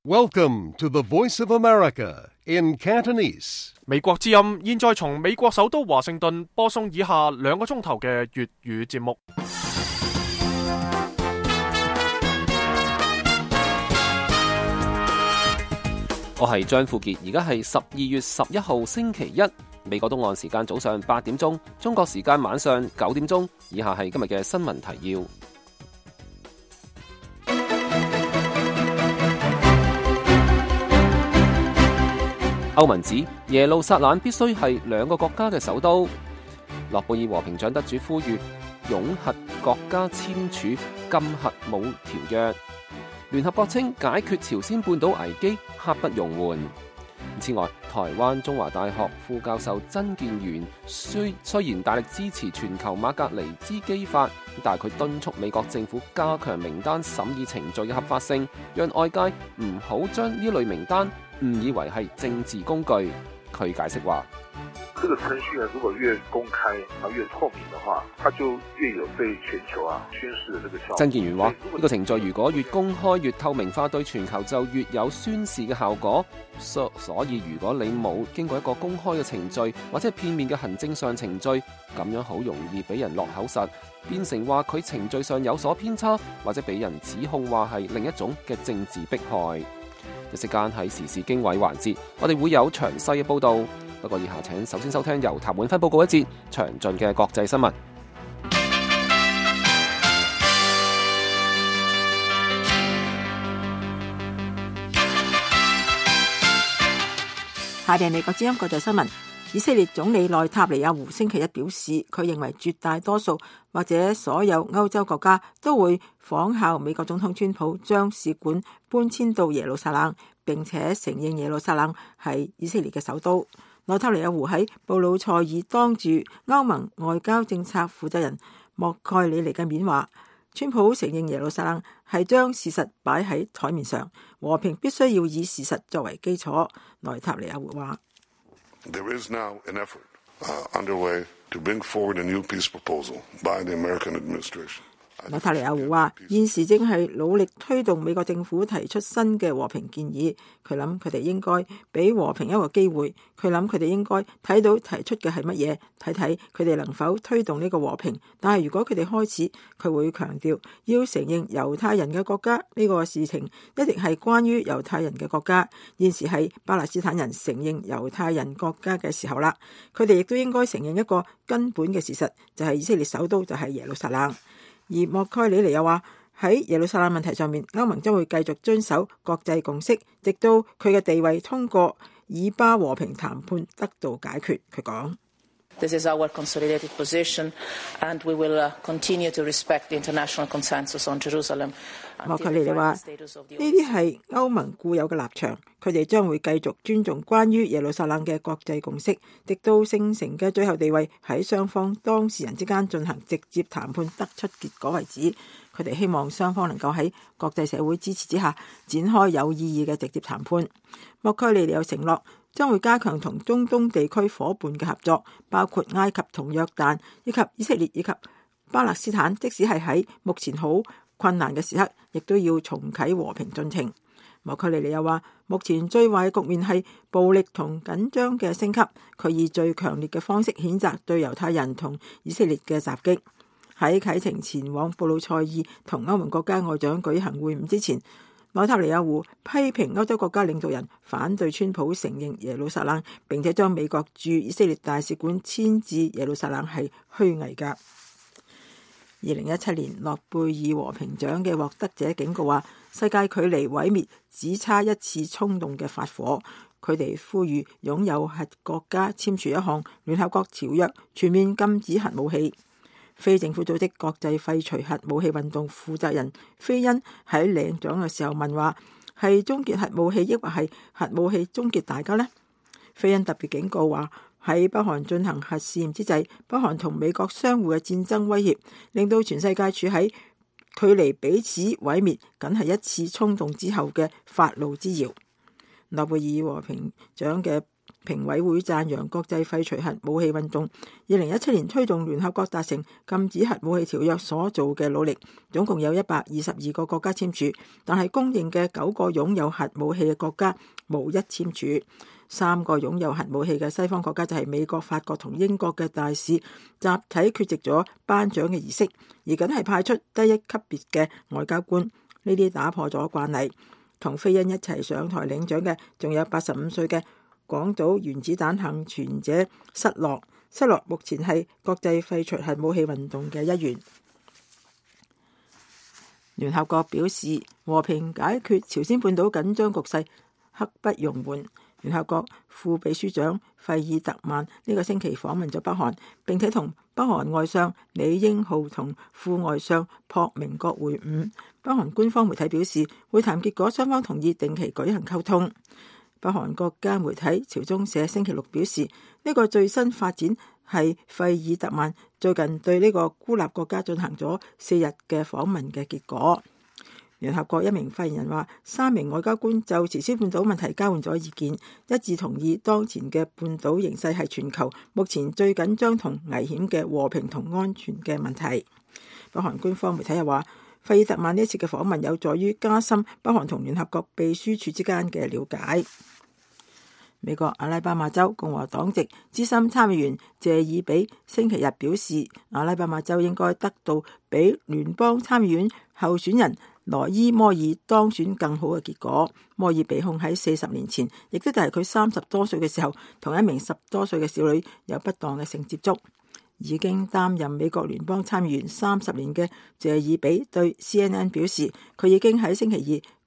Welcome to the Voice of America in Cantonese. 美國之音現在從美國首都華盛頓播送以下2個鐘頭嘅粵語節目。我係張富傑，而家係12月11號星期一，美國東岸時間早上8點鐘，中國時間晚上9點鐘。以下係今日嘅新聞提要。歐盟指耶路撒冷必須係2個國家嘅首都。諾貝爾和平獎得主呼籲擁核國家簽署禁核武條約。聯合國稱解決朝鮮半島危機刻不容緩。此外，台灣中華大學副教授曾建元雖然大力支持全球馬格尼茲基法，但係佢敦促美國政府加強名單審議程序嘅合法性，讓外界唔好將呢類名單誤以為係政治工具。佢解釋話：這個程序如果越公開越透明的話，它就越有對全球宣示的這個效果。曾建元話：呢個程序如果越公開越透明化，對全球就越有宣示嘅效果。所以如果你冇經過一個公開嘅程序，或者係片面嘅行政上程序，咁樣好容易俾人落口實，變成話佢程序上有所偏差，或者俾人指控話係另一種嘅政治迫害。一時間喺時事經緯環節，我哋會有詳細嘅報導。不過以下請首先收聽由譚永輝報告一節詳盡嘅國際新聞。下邊係美國之音國際新聞。以色列總理內塔尼亞胡星期一表示，佢認為絕大多數或者所有歐洲國家都會仿效美國總統川普，將使館搬遷到耶路撒冷，並且承認耶路撒冷係以色列嘅首都。內塔尼亞胡喺布魯塞爾當住歐盟外交政策負責人莫蓋里尼嘅面話，川普承認耶路撒冷係將事實擺喺台面上，和平必須要以事實作為基礎。內塔尼亞胡話：There is now an effort underway to bring forward a new peace proposal by the American administration. 內塔尼亞胡話：現時正係努力推動美國政府提出新嘅和平建議。佢諗佢哋應該俾和平一個機會。佢諗佢哋應該睇到提出嘅係乜嘢，睇睇佢哋能否推動呢個和平。但係如果佢哋開始，佢會強調要承認猶太人嘅國家呢個事情一定係關於猶太人嘅國家。現時係巴勒斯坦人承認猶太人國家嘅時候啦。佢哋亦都應該承認一個根本嘅事實，就係以色列首都就係耶路撒冷。而莫蓋里尼又話喺耶路撒冷問題上面，歐盟將會繼續遵守國際共識，直到佢嘅地位通過以巴和平談判得到解決。佢講：This is our consolidated position, and we will continue to respect the international consensus on Jerusalem. 莫蓋里尼話：呢啲係歐盟固有嘅立場，佢哋將會繼續尊重關於耶路撒冷嘅國際共識，直到聖城嘅最後地位喺雙方當事人之間進行直接談判得出結果為止。佢哋希望雙方能夠喺國際社會支持之下展開有意義嘅直接談判。莫蓋里尼又承諾將會加強同中東地區夥伴嘅合作，包括埃及同約旦，以及以色列以及巴勒斯坦，即使係喺目前好困難嘅時刻，亦都要重啟和平進程。莫蓋里尼又話，目前最壞嘅局面係暴力同緊張嘅升級。佢以最強烈嘅方式譴責對猶太人同以色列嘅襲擊。喺啟程前往布魯塞爾同歐盟國家外長舉行會晤之前，內塔尼亞胡批評歐洲國家領導人反對川普承認耶路撒冷，並且將美國駐以色列大使館遷至耶路撒冷係虛偽㗎。2017年諾貝爾和平獎嘅獲得者警告話，世界距離毀滅只差一次衝動嘅發火。佢哋呼籲擁有核國家簽署一項聯合國條約，全面禁止核武器。非政府組織國際廢除核武器運動負責人菲恩喺領獎嘅時候問話：係終結核武器，抑或係核武器終結大家呢？菲恩特別警告話，喺北韓進行核試驗之際，北韓同美國相互嘅戰爭威脅，令到全世界處喺距離彼此毀滅僅係一次衝動之後嘅發怒之遙。諾貝爾和平獎嘅評委會讚揚國際廢除核武器運動2017年推動聯合國達成禁止核武器條約所做嘅努力，總共有122個國家簽署，但係公認嘅9個擁有核武器嘅國家無一簽署。3個擁有核武器嘅西方國家就係美國、法國同英國嘅大使集體缺席咗頒獎嘅儀式，而僅係派出低一級別嘅外交官。呢啲打破咗慣例。同菲恩一齊上台領獎嘅仲有85歲嘅廣島原子彈幸存者失落。失落目前係國際廢除核武器運動嘅一員。聯合國表示和平解決朝鮮半島緊張局勢刻不容緩。聯合國副秘書長費爾特曼呢個星期訪問咗北韓，並且同北韓外相李英浩同副外相朴明國會晤。北韓官方媒體表示，會談結果雙方同意定期舉行溝通。北韓國家媒體朝中社星期六表示，呢個最新發展係費爾特曼最近對呢個孤立國家進行咗4日嘅訪問嘅結果。聯合國一名發言人話，3名外交官就朝鮮半島問題交換咗意見，一致同意當前嘅半島形勢係全球目前最緊張同危險嘅和平同安全嘅問題。北韓官方媒體又話，費爾特曼呢次嘅訪問有助於加深北韓同聯合國秘書處之間嘅了解。美國阿拉巴馬州共和黨籍資深參議員謝爾比星期日表示，阿拉巴馬州應該得到比聯邦參議院候選人羅伊摩爾當選更好嘅結果。摩爾被控喺40年前，亦都就係佢30多歲嘅時候，同一名10多歲嘅少女有不當嘅性接觸。已經擔任美國聯邦參議員30年嘅謝爾比對 CNN 表示，佢已經喺星期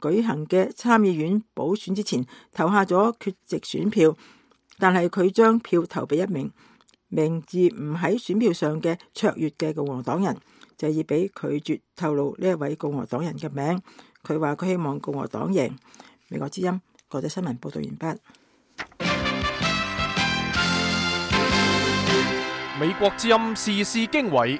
二舉行嘅參議院補選之前投下咗缺席選票，但係佢將票投俾一名名字唔喺選票上嘅卓越嘅共和黨人。謝爾比拒絕透露呢一位共和黨人嘅名，佢話佢希望共和黨贏。美國之音國際新聞報道完畢。美國之音時事經緯，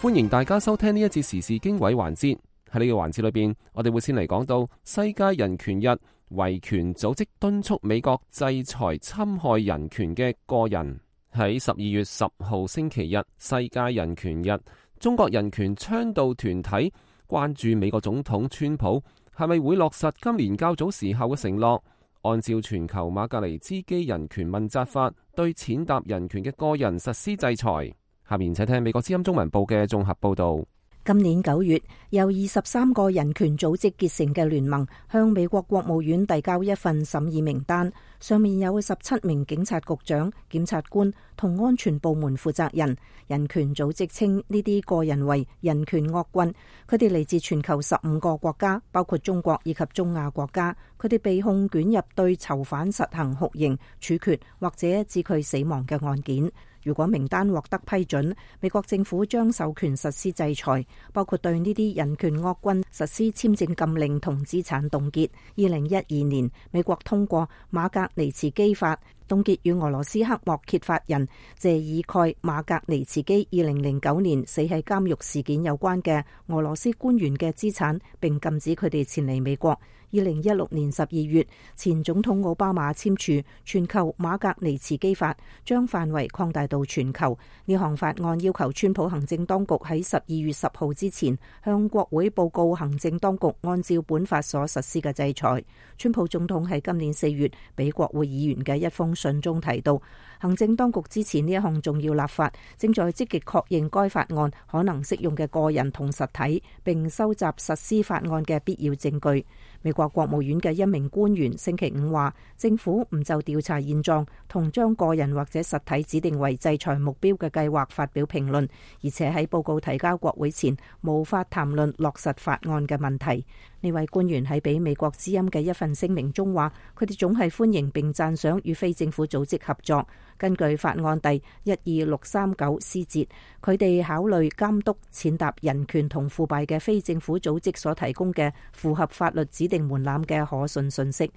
歡迎大家收聽呢一節時事經緯環節。喺呢個環節裏邊，我哋會先嚟講到世界人權日，維權組織敦促美國制裁侵害人權嘅個人。喺12月10號星期日，世界人權日，中國人權倡導團體關注美國總統川普係咪會落實今年較早時候嘅承諾，按照全球馬格尼茲基人權問責法對踐踏人權嘅個人實施制裁。下面請聽美國之音中文部嘅綜合報道。今年9月，由23個人權組織結成嘅聯盟向美國國務院遞交一份審議名單，上面有17名警察局長、檢察官同安全部門負責人。人權組織稱呢啲個人為人權惡棍，佢哋嚟自全球15個國家，包括中國以及中亞國家。佢哋被控捲入對囚犯實行酷刑、處決或者致佢死亡嘅案件。如果名單獲得批准，美國政府將授權實施制裁，包括對呢啲人權惡棍實施簽證禁令同資產凍結。2012年，美國通過馬格尼茨基法，凍結與俄羅斯黑幕揭發人謝爾蓋馬格尼茨基2009年死喺監獄事件有關嘅俄羅斯官員嘅資產，並禁止佢哋前嚟美國。2016年12月，前總統奧巴馬簽署全球馬格尼茨基法，將範圍擴大到全球。呢項法案要求川普行政當局喺12月10號之前向國會報告行政當局按照本法所實施嘅制裁。川普總統喺今年4月俾國會議員嘅一封信中提到，行政當局支持呢一項重要立法，正在積極確認該法案可能適用嘅個人同實體，並收集實施法案嘅必要證據。美國國務院嘅一名官員星期5話，政府唔就調查現狀同將個人或者實體指定為制裁目標嘅計劃發表評論，而且喺報告提交國會前無法談論落實法案嘅問題。呢位官員喺俾美國之音嘅一份聲明中話，佢哋總係歡迎並讚賞與非政府組織合作。根據法案第12639C節，佢哋考慮監督踐踏人權同腐敗嘅非政府組織所提供嘅符合法律指定門檻嘅可信信息。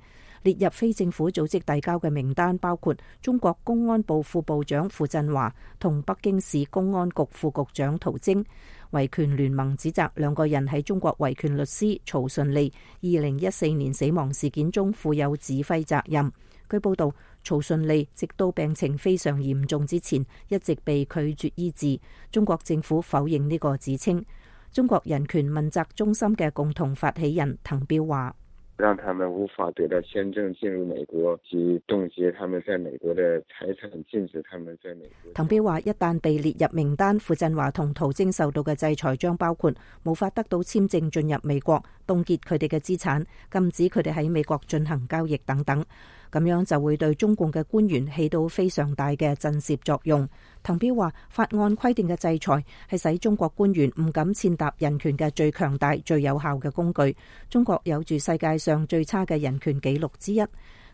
列入非政府組織遞交嘅名單包括中國公安部副部長傅振華同北京市公安局副局長陶晶。維權聯盟指責兩個人喺中國維權律師曹順利2014年死亡事件中負有指揮責任。據報道，曹順利直到病情非常嚴重之前一直被拒絕醫治。中國政府否認呢個指稱。中國人權問責中心嘅共同發起人滕彪話：讓他們無法得到簽證進入美國，及凍結他們在美國的財產，禁止他們在美國。滕彪話：一旦被列入名單，傅振華同陶晶受到嘅制裁將包括無法得到簽證進入美國、凍結佢哋嘅資產、禁止佢哋喺美國進行交易等等。咁樣就會對中共嘅官員起到非常大嘅震懾作用。滕彪話：法案規定嘅制裁係使中國官員唔敢踐踏人權嘅最強大、最有效嘅工具。中國有住世界上最差嘅人權紀錄之一。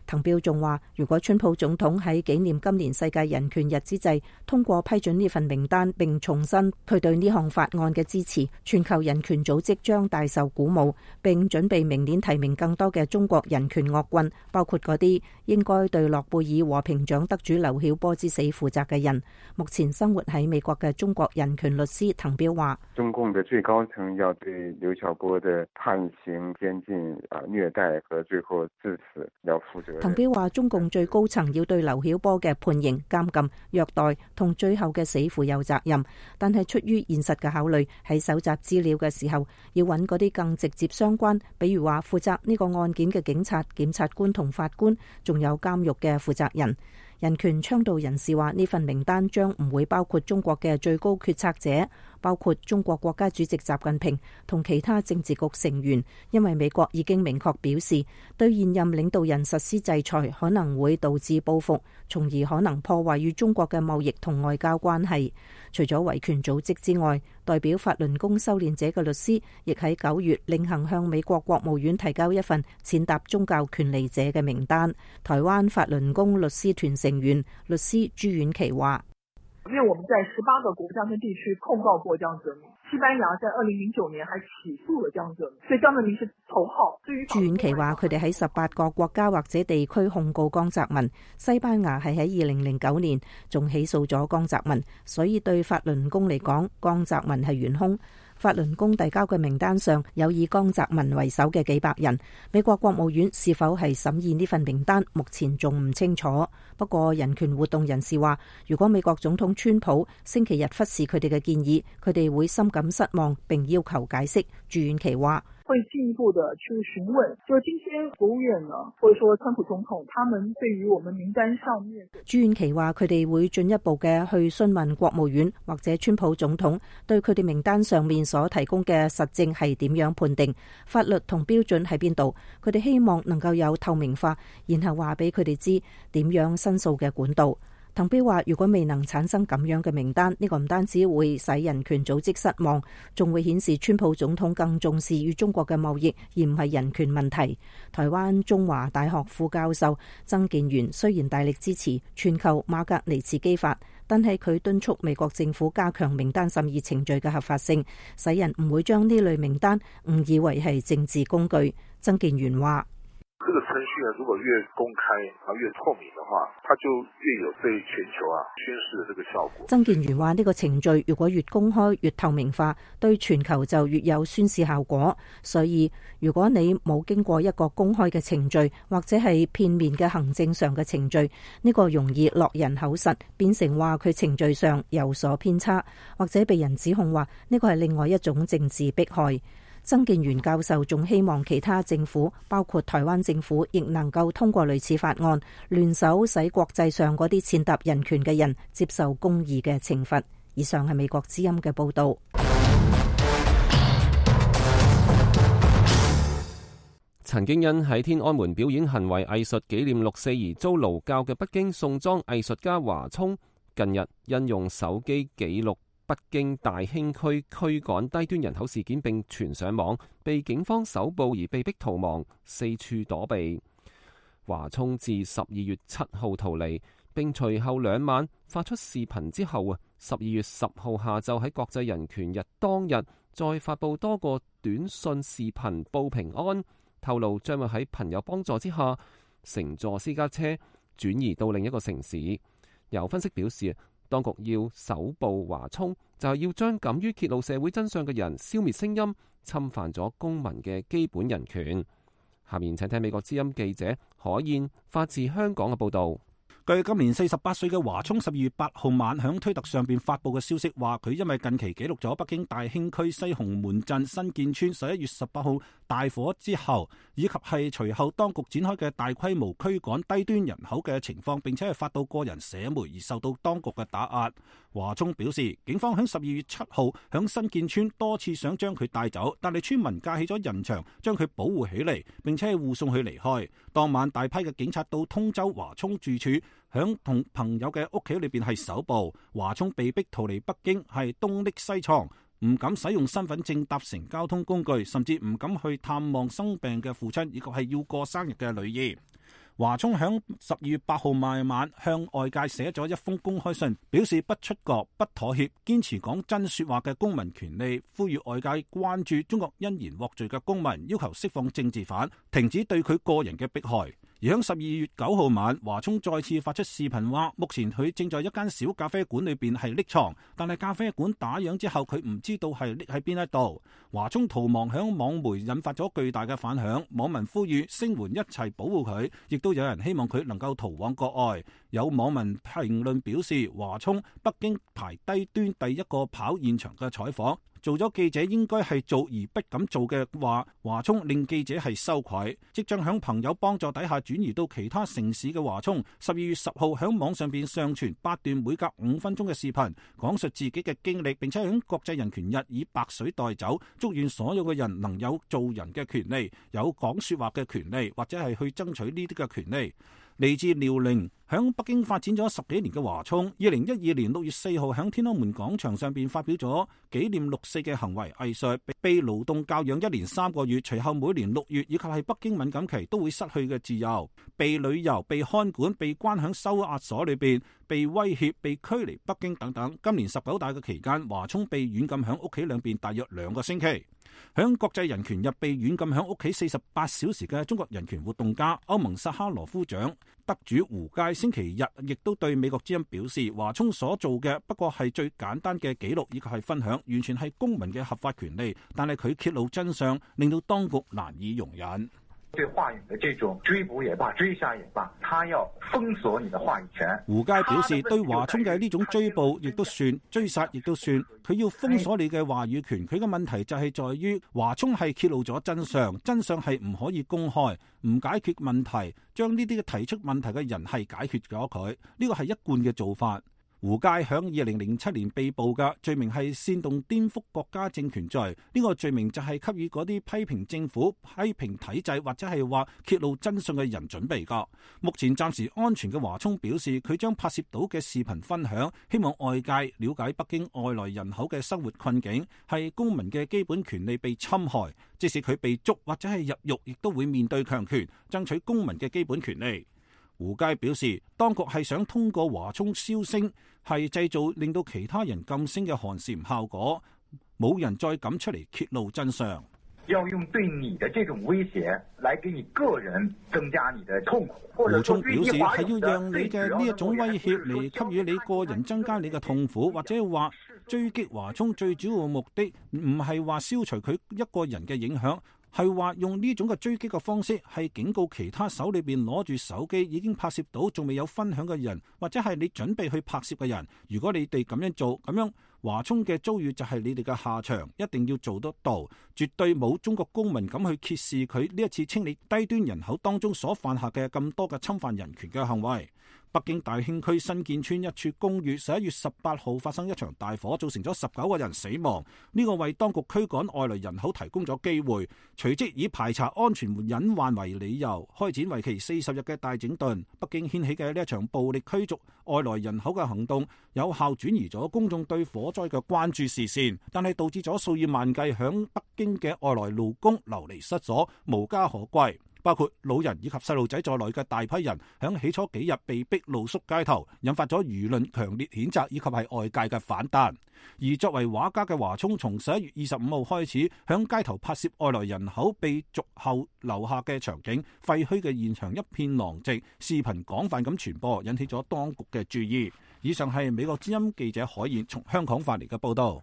滕彪仲話：如果川普總統喺紀念今年世界人權日之際通過批准呢份名單，並重申佢對呢項法案嘅支持，全球人權組織將大受鼓舞，並準備明年提名更多嘅中國人權惡棍，包括嗰啲應該對諾貝爾和平獎得主劉曉波之死負責嘅人。目前生活喺美國嘅中國人權律師滕彪話：中共嘅最高層要對劉曉波嘅判刑、監禁、虐待和最後致死要負責。滕彪話：中共最高層要對劉曉波嘅判刑、監禁、虐待同最後嘅死負有責任，但係出於現實嘅考慮，喺搜集資料嘅時候，要揾嗰啲更直接相關，比如話負責呢個案件嘅警察、檢察官同法官，仲有監獄嘅負責人。人權倡導人士話：呢份名單將唔會包括中國嘅最高決策者，包括中國國家主席習近平同其他政治局成員，因為美國已經明確表示，對現任領導人實施制裁可能會導致報復，從而可能破壞與中國嘅貿易同外交關係。除咗維權組織之外，代表法輪功修煉者嘅律師亦喺9月另行向美國國務院提交一份踐踏宗教權利者嘅名單。台灣法輪功律師團成員律師朱婉琪話：因為我們在18個國家跟地區控告過江澤民，西班牙在2009年還起訴了江澤民，所以江澤民是頭號。朱婉琪話：佢哋喺18個國家或者地區控告江澤民，西班牙係喺2009年仲起訴咗江澤民，所以對法輪功嚟講，江澤民係元兇。法輪功遞交嘅名單上有以江澤民為首嘅幾百人，美國國務院是否係審議呢份名單，目前仲唔清楚。不過人權活動人士話，如果美國總統川普星期日忽視佢哋嘅建議，佢哋會深感失望並要求解釋。朱婉琪話：會進一步的去詢問，就今天國務院呢，或者說川普總統，他們對於我們名單上面。朱婉琪話：佢哋會進一步嘅去詢問國務院或者川普總統，對佢哋名單上面所提供嘅實證係點樣判定，法律同標準喺邊度。佢哋希望能夠有透明化，然後話俾佢哋知點樣申訴嘅管道。滕彪話：如果未能產生咁樣嘅名單，呢個唔單止會使人權組織失望，仲會顯示川普總統更重視與中國嘅貿易，而唔係人權問題。台灣中華大學副教授曾建元雖然大力支持全球馬格尼茨基法，但係佢敦促美國政府加強名單審議程序嘅合法性，使人唔會將呢類名單誤以為係政治工具。曾建元話：這個程序呢，如果越公開越透明的話，它就越有對全球宣示的這個效果。曾建元話：呢個程序如果越公開越透明化，對全球就越有宣示效果。所以如果你冇經過一個公開嘅程序，或者係片面嘅行政上嘅程序，呢個容易落人口實，變成話佢程序上有所偏差，或者被人指控話呢個係另外一種政治迫害。曾建元教授仲希望其他政府，包括台灣政府，亦能夠通過類似法案，聯手使國際上嗰啲踐踏人權嘅人接受公義嘅懲罰。以上係美國之音嘅報導。曾經因喺天安門表演行為藝術紀念6·4而遭勞教嘅北京宋莊藝術家華聰，近日因用手機記錄北京大興區驅趕低端人口事件並傳上網，被警方搜捕而被迫逃亡，四處躲避。華聰自12月7號逃離，並隨後2晚發出視頻之後12月10號下晝喺國際人權日當日再發布多個短信視頻報平安，透露將會喺朋友幫助之下乘坐私家車轉移到另一個城市。有分析表示，當局要搜捕華聰，就係要將敢於揭露社會真相嘅人消滅聲音，侵犯咗公民嘅基本人權。下面請聽美國之音記者可燕發自香港嘅報導。據今年48歲嘅華聰12月8號晚響推特上邊發佈嘅消息話，佢因為近期記錄咗北京大興區西紅門鎮新建村11月18號大火之後，以及係隨後當局展開嘅大規模驅趕低端人口嘅情況，並且係發到個人社媒而受到當局嘅打壓。華聰表示，警方響12月7號響新建村多次想將佢帶走，但係村民架起咗人牆將佢保護起嚟，並且係護送佢離開。當晚大批嘅警察到通州華聰住處，響同朋友嘅屋企裏邊係搜捕。華聰被逼逃離北京，係東匿西藏，唔敢使用身份證搭乘交通工具，甚至唔敢去探望生病嘅父親，以及係要過生日嘅女兒。華聰響12月8號晚向外界寫咗一封公開信，表示不出國、不妥協，堅持講真說話嘅公民權利，呼籲外界關注中國因言獲罪嘅公民，要求釋放政治犯，停止對佢個人嘅迫害。而響12月9號晚，華聰再次發出視頻話，目前佢正在一間小咖啡館裏邊係匿藏，但係咖啡館打烊之後，佢唔知道係匿喺邊一度。華聰逃亡響網媒引發咗巨大嘅反響，網民呼籲聲援一齊保護佢，亦都有人希望佢能夠逃往國外。有網民評論表示，華聰北京排低端第一個跑現場嘅採訪，做咗記者應該係做而不敢做嘅話，華聰令記者係羞愧。即將響朋友幫助底下轉移到其他城市嘅華聰，12月10號響網上邊上傳8段每隔5分鐘嘅視頻，講述自己嘅經歷，並且響國際人權日以白水代酒，祝願所有嘅人能有做人嘅權利，有講說話嘅權利，或者係去爭取呢啲嘅權利。嚟自遼寧，響北京發展咗10幾年嘅華聰，2012年6月4號響天安門廣場上邊發表咗紀念6四嘅行為藝術，被勞動教養1年3個月，隨後每年6月以及係北京敏感期都會失去嘅自由，被旅遊、被看管、被關響收押所裏邊，被威脅、被驅離北京等等。今年19大嘅期間，華聰被軟禁響屋企兩邊大約2個星期。響國際人權日被軟禁響屋企48小時嘅中國人權活動家、歐盟薩哈羅夫獎得主胡佳星期日亦都對美國之音表示，華聰所做嘅不過係最簡單嘅記錄以及係分享，完全係公民嘅合法權利，但係佢揭露真相，令到當局難以容忍。對話語的這種追捕也罷，追殺也罷，他要封鎖你的話語權。胡佳表示，對華聰嘅呢種追捕亦都算，追殺亦都算，佢要封鎖你嘅話語權。佢嘅問題就係在於華聰係揭露咗真相，真相係唔可以公開，唔解決問題，將呢啲嘅提出問題嘅人係解決咗佢，呢個係一貫嘅做法。胡佳響2007年被捕嘅罪名係煽動顛覆國家政權罪，呢個罪名就係給予嗰啲批評政府、批評體制或者係話揭露真相嘅人準備噶。目前暫時安全嘅華聰表示，佢將拍攝到嘅視頻分享，希望外界了解北京外來人口嘅生活困境，係公民嘅基本權利被侵害，即使佢被捉或者係入獄，亦都會面對強權，爭取公民嘅基本權利。胡佳表示，當局係想通過華聰銷聲，係製造令到其他人噤聲嘅寒蟬效果，冇人再敢出嚟揭露真相。要用對你的這種威脅來給你個人增加你的痛苦。胡聰表示係要讓你嘅呢一種威脅嚟給予你個人增加你嘅痛苦，或者話追擊華聰最主要嘅目的唔係話消除佢一個人嘅影響。係話用呢種嘅追擊嘅方式，係警告其他手裏邊攞住手機已經拍攝到仲未有分享嘅人，或者係你準備去拍攝嘅人。如果你哋咁樣做，咁樣華聰嘅遭遇就係你哋嘅下場，一定要做得到。絕對冇中國公民敢去揭示佢呢一次清理低端人口當中所犯下嘅咁多嘅侵犯人權嘅行為。北京大興區新建村一處公寓11月18號發生一場大火，造成咗19個人死亡。呢個為當局驅趕外來人口提供咗機會，隨即以排查安全隱患為理由，開展為期40日嘅大整頓。北京掀起嘅呢一場暴力驅逐外來人口嘅行動，有效轉移咗公眾對火災嘅關注視線，但係導致咗數以萬計響北京嘅外來勞工流離失所，無家可歸。包括老人以及細路仔在內嘅大批人響起初幾日被逼露宿街頭，引發咗輿論強烈譴責以及係外界嘅反彈。而作為畫家嘅華聰，從11月25號開始響街頭拍攝外來人口被逐後留下嘅場景，廢墟嘅現場一片狼藉，視頻廣泛咁傳播，引起咗當局嘅注意。以上係美國之音記者海燕從香港發嚟嘅報道。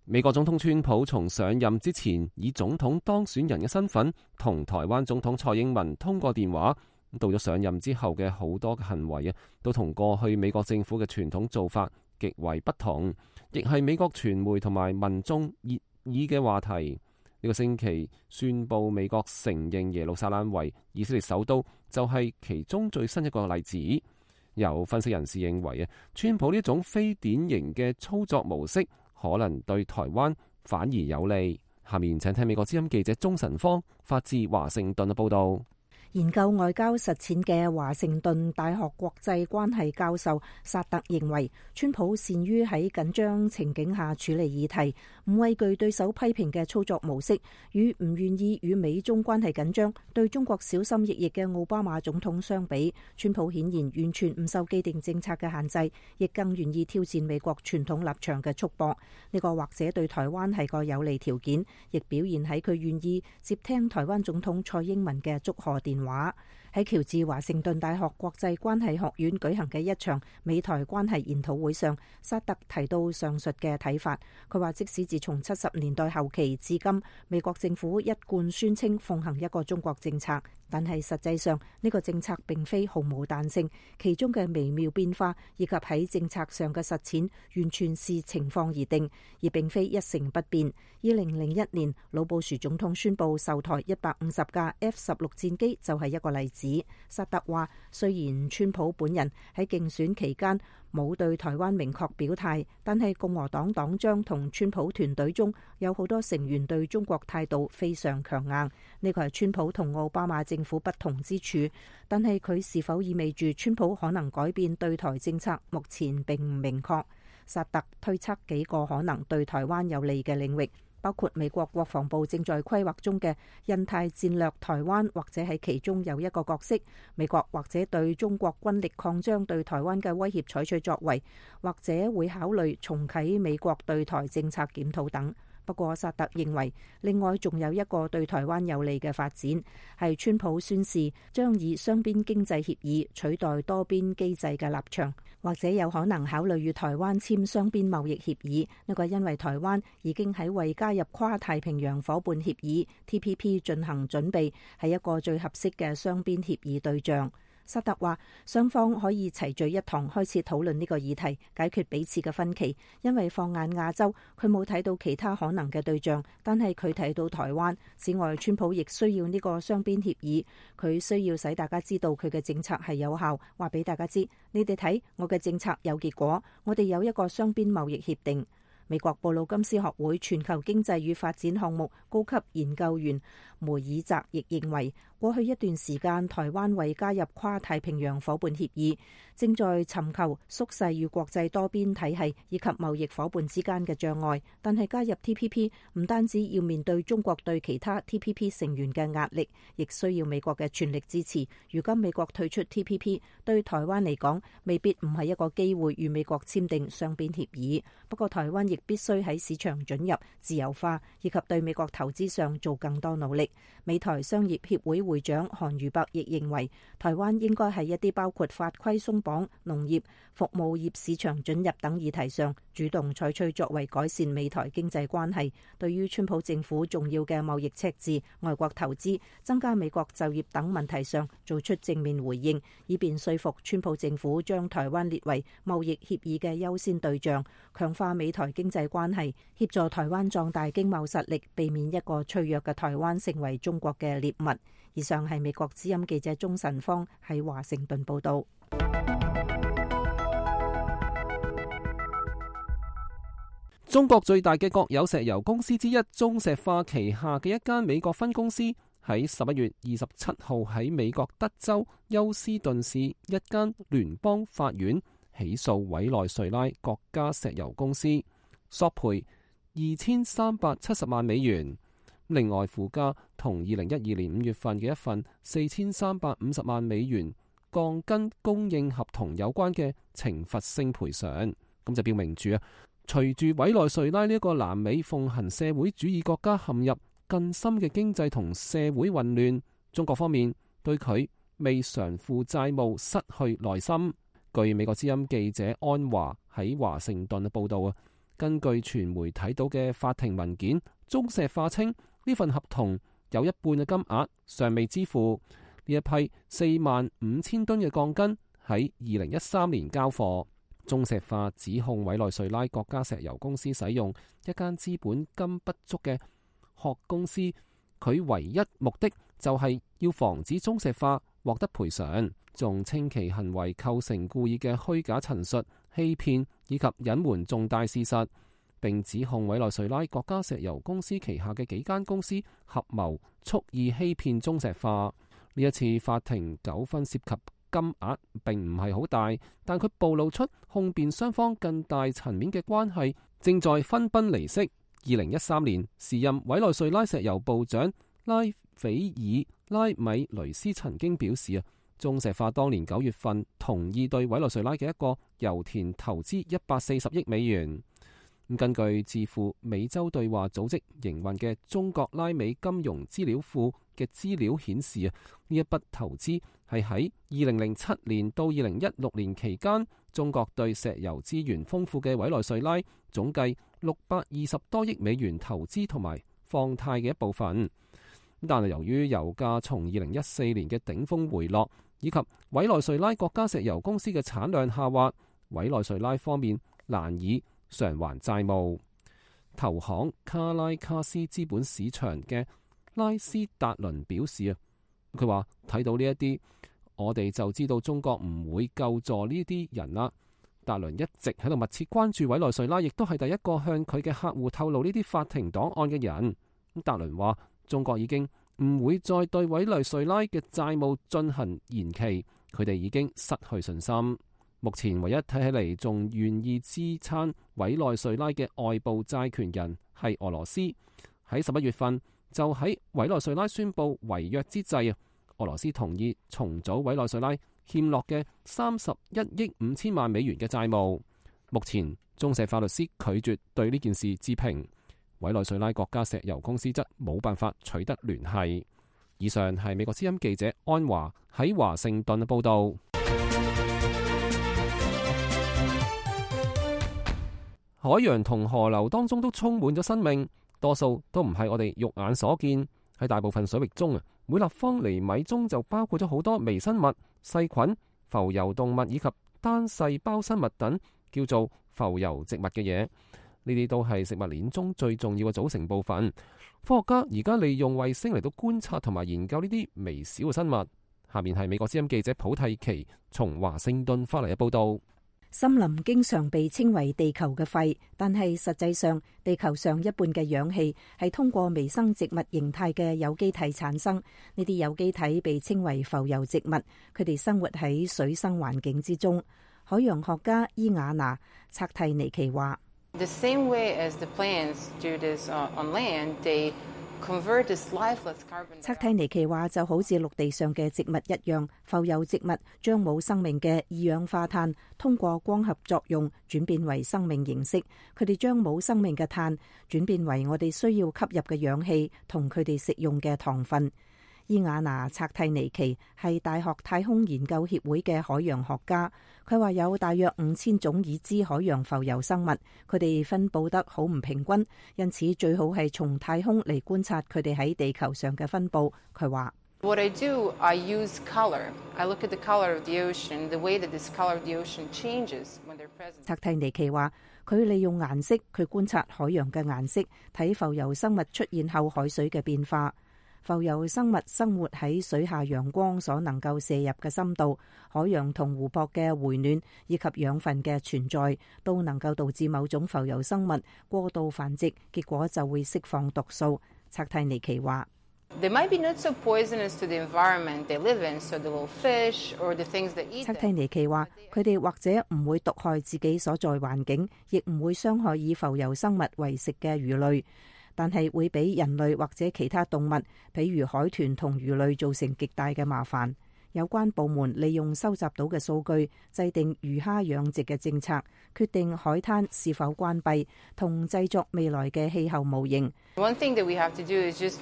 美國總統川普從上任之前以總統當選人嘅身份同台灣總統蔡英文通過電話，到咗上任之後嘅好多行為都同過去美國政府嘅傳統做法極為不同，亦係美國傳媒同埋民眾熱議嘅話題。呢個星期宣布美國承認耶路撒冷為以色列首都，就係其中最新一個例子。有分析人士認為川普呢種非典型嘅操作模式可能對台灣反而有利。下面請聽美國之音記者鍾晨芳發自華盛頓嘅報道。研究外交實踐嘅華盛頓大學國際關係教授薩特認為，川普善於喺緊張情景下處理議題，唔畏懼對手批評嘅操作模式，與唔願意與美中關係緊張、對中國小心翼翼嘅奧巴馬總統相比，川普顯然完全唔受既定政策嘅限制，亦更願意挑戰美國傳統立場嘅束縛。呢個或者對台灣係個有利條件，亦表現喺佢願意接聽台灣總統蔡英文嘅祝賀電話。喺喬治華盛頓大學國際關係學院舉行嘅一場美台關係研討會上，薩特提到上述嘅睇法。佢話，即使自從70年代後期至今，美國政府一貫宣稱奉行一個中國政策，但係實際上呢個政策並非毫無彈性，其中嘅微妙變化以及喺政策上嘅實踐完全視情況而定，而並非一成不變。2001年老布殊總統宣布售台150架 F-16 戰機就係一個例子。薩特話，雖然川普本人喺競選期間冇對台灣明確表態，但係共和黨黨章同川普團隊中有好多成員對中國態度非常強硬。呢個係川普同奧巴馬政府不同之處，但係佢是否意味住川普可能改變對台政策，目前並唔明確。薩特推測幾個可能對台灣有利嘅領域，包括美國國防部正在規劃中嘅印太戰略台灣，或者喺其中有一個角色；美國或者對中國軍力擴張對台灣嘅威脅採取作為，或者會考慮重啟美國對台政策檢討等。不過薩特認為，另外仲有一個對台灣有利嘅發展，係川普宣示將以雙邊經濟協議取代多邊機制嘅立場，或者有可能考慮與台灣簽雙邊貿易協議。呢個因為台灣已經喺為加入跨太平洋夥伴協議 TPP 進行準備，係一個最合適嘅雙邊協議對象。薩特話，雙方可以齊聚一堂開始討論呢個議題，解決彼此嘅分歧。因為放眼亞洲，佢冇睇到其他可能嘅對象，但係佢睇到台灣。此外，川普亦需要呢個雙邊協議，佢需要使大家知道佢嘅政策係有效，話俾大家知，你哋睇，我嘅政策有結果，我哋有一個雙邊貿易協定。美國布魯金斯學會全球經濟與發展項目高級研究員梅爾澤亦認為，過去一段時間，台灣為加入跨太平洋夥伴協議，正在尋求縮細與國際多邊體系以及貿易夥伴之間嘅障礙。但係加入 TPP 唔單止要面對中國對其他 TPP 成員嘅壓力，亦需要美國嘅全力支持。如今美國退出 TPP， 對台灣嚟講未必唔係一個機會與美國簽訂雙邊協議。不過台灣亦必須喺市場准入、自由化以及對美國投資上做更多努力。美台商業協會會長韓如伯亦認為，台灣應該喺一啲包括法規鬆綁、農業、服務業市場准入等議題上，主動採取作為改善美台經濟關係。對於川普政府重要嘅貿易赤字、外國投資、增加美國就業等問題上，做出正面回應，以便說服川普政府將台灣列為貿易協議嘅優先對象，強化美台經濟關係，協助台灣壯大經貿實力，避免一個脆弱嘅台灣成為中國嘅獵物。以上係美國之音記者鍾晨芳喺華盛頓報道。中國最大嘅國有石油公司之一中石化旗下嘅一間美國分公司喺11月27號喺美國德州休斯頓市一間聯邦法院起訴委內瑞拉國家石油公司，索賠2370萬美元。另外附加同2012年5月份嘅一份4350萬美元鋼筋供應合同有關嘅懲罰性賠償。咁就表明住隨住委內瑞拉呢一個南美奉行社會主義國家陷入更深嘅經濟同社會混亂，中國方面對佢未償付債務失去耐心。據美國之音記者安華喺華盛頓嘅報導根據傳媒睇到嘅法庭文件，中石化稱呢份合同有一半嘅金額尚未支付。呢一批45000噸嘅鋼筋喺2013年交貨。中石化指控委內瑞拉國家石油公司使用一間資本金不足嘅殼公司，佢唯一目的就係要防止中石化獲得賠償，仲稱其行為構成故意嘅虛假陳述、欺騙以及隱瞞重大事實，並指控委內瑞拉國家石油公司旗下嘅幾間公司合謀蓄意欺騙中石化。呢一次法庭糾紛涉及金額並唔係好大，但佢暴露出控辯雙方更大層面嘅關係正在分崩離析。2013年，時任委內瑞拉石油部長拉斐爾拉米雷斯曾經表示中石化當年9月份同意對委內瑞拉嘅一個油田投資140億美元。根據自負美洲對話組織營運嘅中國拉美金融資料庫嘅資料顯示呢一筆投資係喺2007年到2016年期間，中國對石油資源豐富嘅委內瑞拉總計620多億美元投資同埋放貸嘅一部分。但係由於油價從2014年嘅頂峰回落，以及委內瑞拉國家石油公司嘅產量下滑，委內瑞拉方面難以償還債務。投行卡拉卡斯資本市場嘅拉斯達倫表示佢話睇到呢一啲，我哋就知道中國唔會救助呢啲人啦。達倫一直喺度密切關注委內瑞拉，亦都係第一個向佢嘅客戶透露呢啲法庭檔案嘅人。達倫話中國已經唔會再對委內瑞拉嘅債務進行延期，佢哋已經失去信心。目前唯一睇起嚟仲願意支撐委內瑞拉嘅外部債權人係俄羅斯。喺11月份就喺委內瑞拉宣布違約之際，俄羅斯同意重組委內瑞拉欠落嘅31億5千萬美元嘅債務。目前中石化律師拒絕對呢件事置評，委內瑞拉國家石油公司則冇辦法取得聯繫。以上係美國之音記者安華喺華盛頓嘅報道。海洋同河流當中都充滿咗生命，多數都唔係我哋肉眼所見。喺大部分水域中每立方厘米中就包括咗好多微生物、細菌、浮游動物以及單細胞生物等叫做浮游植物嘅嘢。呢啲都係食物鏈中最重要嘅組成部分。科學家而家利用衛星嚟到觀察同埋研究呢啲微小嘅生物。下面係美國之音記者普蒂奇從華盛頓返嚟嘅報道。森林經常被稱為地球嘅肺，但係實際上地球上一半嘅氧氣係通過微生植物形態嘅有機體產生。呢啲有機體被稱為浮游植物，佢哋生活喺水生環境之中。海洋學家伊雅娜察蒂尼奇話：The same way as the plants do this on land, they convert this lifeless carbon。察蒂尼奇話就好似陸地上嘅植物一樣，浮游植物將冇生命嘅二氧化碳通過光合作用轉變為生命形式。佢哋將冇生命嘅碳轉變為我哋需要吸入嘅氧氣同佢哋食用嘅糖分。伊雅娜察蒂尼奇係大學太空研究協會嘅海洋學家，佢話有大約5000種已知海洋浮游生物，佢哋分佈得好唔平均，因此最好係從太空嚟觀察佢哋喺地球上嘅分佈。佢話：What I do, I use color. I look at the color of the ocean, the way that this color of the ocean changes when they're present. 察蒂尼奇話：佢利用顏色去觀察海洋嘅顏色，睇浮游生物出現後海水嘅變化。浮游生物生活喺水下陽光所能夠射入嘅深度，海洋同湖泊嘅回暖以及養分嘅存在，都能夠導致某種浮游生物過度繁殖，結果就會釋放毒素。察蒂尼奇話： They might be not so poisonous to the environment they live in, so the little fish or the things they eat. 測蒂尼奇話：佢哋或者唔會毒害自己所在環境，亦唔會傷害以浮游生物為食嘅魚類，但係會俾人類或者其他動物，譬如海豚同魚類造成極大嘅麻煩。有關部門利用收集到嘅數據，制定魚蝦養殖嘅政策，決定海灘是否關閉，同製作未來嘅氣候模型。One thing that we have to do is just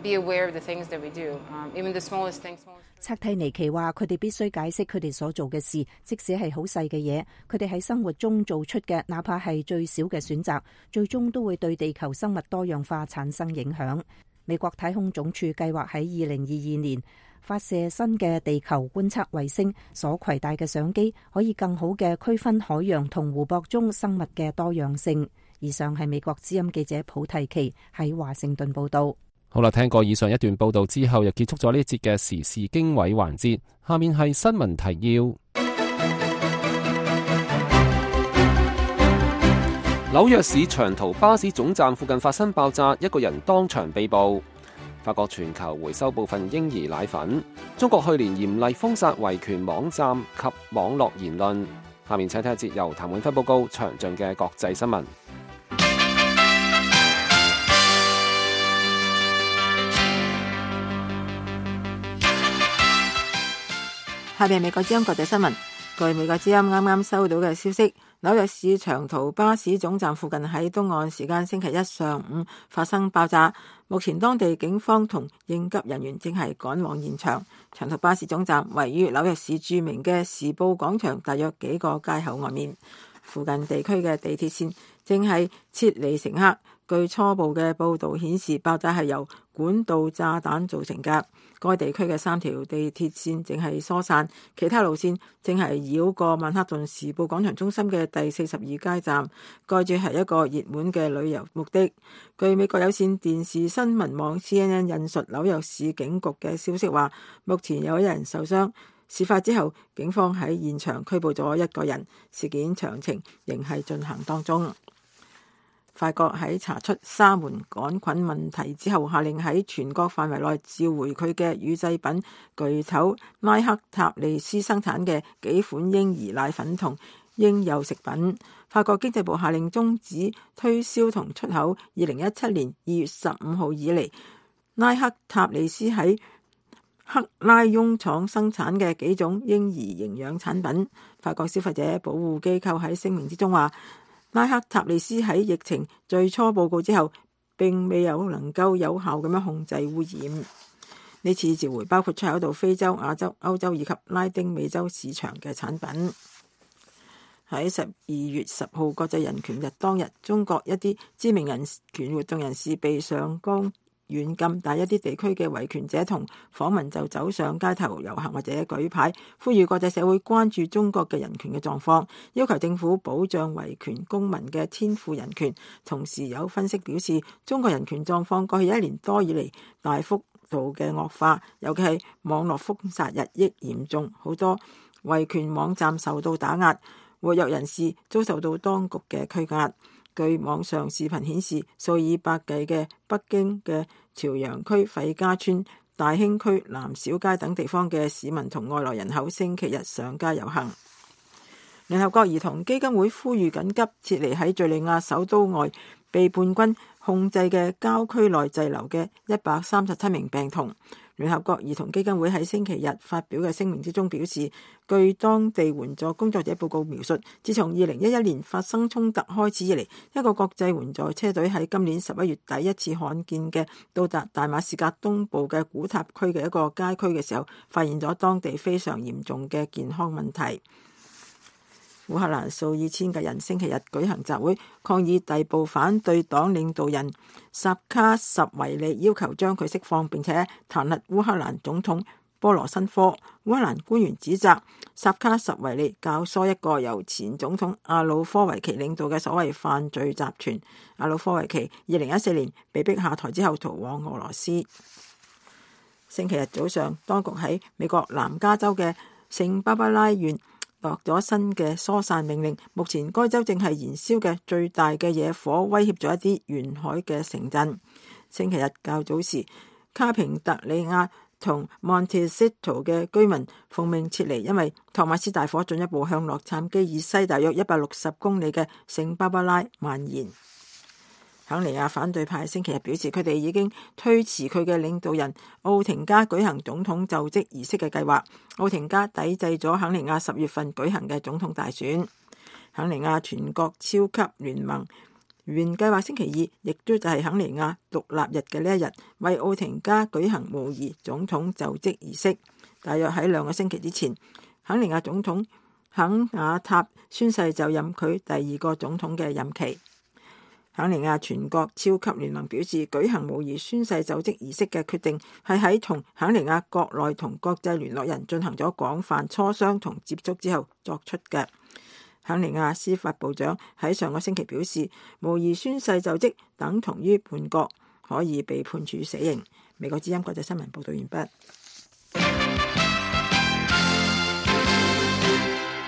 be aware of the things that we do, even the smallest things. 測蒂尼奇話：佢哋必須解釋佢哋所做嘅事，即使係好細嘅嘢，佢哋喺生活中做出嘅，哪怕係最少嘅選擇，最終都會對地球生物多樣化產生影響。美國太空總署計劃喺2022年發射新嘅地球觀測衛星，所攜帶嘅相機可以更好嘅區分海洋同湖泊中生物嘅多樣性。以上係美國之音記者普蒂奇喺華盛頓報道。好啦，聽過以上一段報道之後，又結束咗呢一節嘅時事經緯環節。下面係新聞提要。紐約市長途巴士總站附近發生爆炸，一個人當場被捕。法國全球回收部分嬰兒奶粉。中國去年嚴厲封殺維權網站及網絡言論。下面請睇一節由譚永輝報告詳盡嘅國際新聞。下面係美國之音國際新聞。據美國之音啱啱收到嘅消息，紐約市長途巴士總站附近喺東岸時間星期一上午發生爆炸，目前當地警方同應急人員正係趕往現場。長途巴士總站位於紐約市著名嘅時報廣場大約幾個街口外面，附近地區嘅地鐵線正係撤離乘客。據初步嘅報道顯示，爆炸係由管道炸彈造成嘅。該地區嘅3條地鐵線正係疏散，其他路線正係繞過曼克頓時報廣場中心嘅第42街站。該處係一個熱門嘅旅遊目的。據美國有線電視新聞網 CNN 引述紐約市警局嘅消息話，目前有1人受傷。事發之後，警方喺現場拘捕咗1個人，事件詳情仍係進行當中。法國喺查出沙門桿菌問題之後，下令喺全國範圍內召回佢嘅乳製品巨頭拉克塔利斯生產嘅幾款嬰兒奶粉同嬰幼食品。法國經濟部下令終止推銷同出口2017年2月15號以嚟拉克塔利斯喺克拉翁廠生產嘅幾種嬰兒營養產品。法國消費者保護機構喺聲明之中話，拉克塔利斯喺疫情最初報告之後，並未有能夠有效咁樣控制污染。呢次召回包括出口到非洲、亞洲、歐洲以及拉丁美洲市場嘅產品。喺12月10號國際人權日當日，中國一啲知名人權活動人士被上綱軟禁，但一啲地區嘅維權者同訪民就走上街頭遊行或者舉牌，呼籲國際社會關注中國嘅人權嘅狀況，要求政府保障維權公民嘅天賦人權。同時有分析表示，中國人權狀況過去1年多以嚟大幅度嘅惡化，尤其係網絡封殺日益嚴重，好多維權網站受到打壓，活躍人士遭受到當局嘅拘押。據網上視頻顯示，數以百計嘅北京嘅朝陽區、費家村、大興區、南小街等地方嘅市民同外來人口星期日上街遊行。聯合國兒童基金會呼籲緊急撤離喺敘利亞首都外被叛軍控制嘅郊區內滯留嘅137名病童。聯合國兒童基金會喺星期日發表嘅聲明之中表示，據當地援助工作者報告描述，自從2011年發生衝突開始以嚟，一個國際援助車隊喺今年11月第一次罕見嘅到達大馬士革東部嘅古塔區嘅一個街區嘅時候，發現咗當地非常嚴重嘅健康問題。烏克蘭數以千嘅人星期日舉行集會，抗議逮捕反對黨領導人薩卡什維利，要求將佢釋放，並且彈劾烏克蘭總統波羅申科。烏克蘭官員指責薩卡什維利教唆一個由前總統亞努科維奇領導嘅所謂犯罪集團。亞努科維奇2014年被逼下台之後逃往俄羅斯。星期日早上，當局喺美國南加州嘅聖巴巴拉縣落咗新嘅疏散命令，目前該州正係燃燒嘅最大嘅野火威脅咗一啲沿海嘅城鎮。星期日較早時，卡平特利亞同 Montecito 嘅居民奉命撤離，因為托馬斯大火進一步向洛杉磯以西大約160公里嘅聖巴巴拉蔓延。肯尼亞反對派星期日表示，佢哋已經推遲佢嘅領導人奧廷加舉行總統就職儀式嘅計劃。奧廷加抵制咗肯尼亞10月份舉行嘅總統大選。肯尼亞全國超級聯盟原計劃星期二，亦都就係肯尼亞獨立日嘅呢一日，為奧廷加舉行模擬總統就職儀式。大約喺2個星期之前，肯尼亞總統肯雅塔宣誓就任佢第2個總統嘅任期。肯尼亞全國超級聯盟表示，舉行模擬宣誓就職儀式嘅決定係喺同肯尼亞國內同國際聯絡人進行咗廣泛磋商同接觸之後作出嘅。肯尼亞司法部長喺上個星期表示，模擬宣誓就職等同於叛國，可以被判處死刑。美國之音國際新聞報道完畢。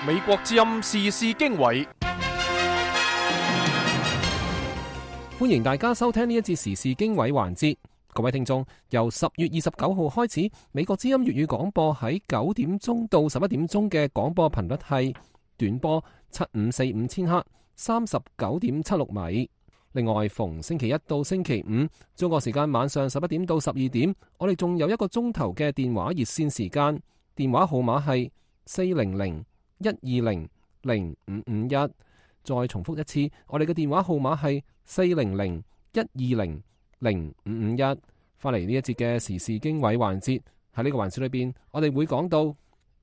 美國之音時事經緯，歡迎大家收聽呢一節時事經緯環節。各位聽眾，由10月29號開始，美國之音粵語廣播喺9點鐘到11點鐘嘅廣播頻率係短波7545千赫，39.76米。另外，逢星期一到星期五，中國時間晚上11點到12點，我哋仲有1個鐘頭嘅電話熱線時間，電話號碼係400-120-0551。再重複一次，我哋嘅電話號碼係400-120-0551。翻嚟呢一節嘅時事經緯環節，喺呢個環節裏邊，我哋會講到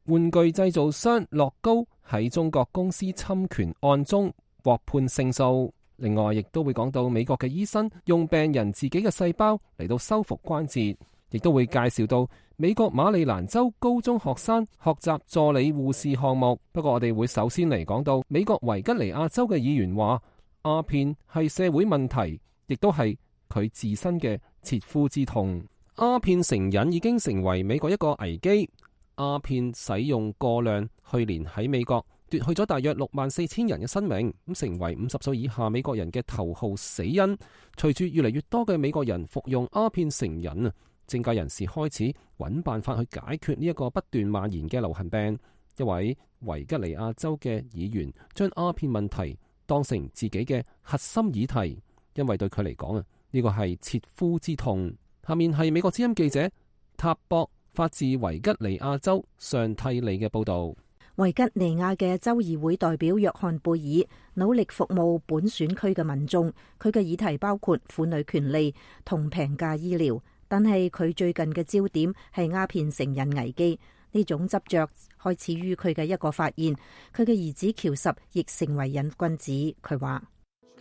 玩具製造商樂高喺中國公司侵權案中獲判勝訴。另外，亦都會講到美國嘅醫生用病人自己嘅細胞嚟到修復關節，亦都會介紹到美國馬里蘭州高中學生學習助理護士項目。不過我哋會首先嚟講到美國維吉尼亞州嘅議員話，鴉片係社會問題，亦都係佢自身嘅切膚之痛。鴉片成癮已經成為美國一個危機。鴉片使用過量，去年喺美國奪去咗大約64000人嘅生命，咁成為50歲以下美國人嘅頭號死因。隨住越嚟越多嘅美國人服用鴉片成癮啊，政界人士開始揾辦法去解決呢一個不斷蔓延嘅流行病。一位維吉尼亞州嘅議員將鴉片問題當成自己嘅核心議題，因為對佢嚟講啊，呢個係切膚之痛。下面係美國之音記者塔博發自維吉尼亞州上替利嘅報道。維吉尼亞嘅州議會代表約翰貝爾努力服務本選區嘅民眾，佢嘅議題包括婦女權利同平價醫療，但係佢最近嘅焦點係鴉片成癮危機。呢種執着開始於佢嘅一個發現，佢嘅兒子喬什亦成為癮君子。佢話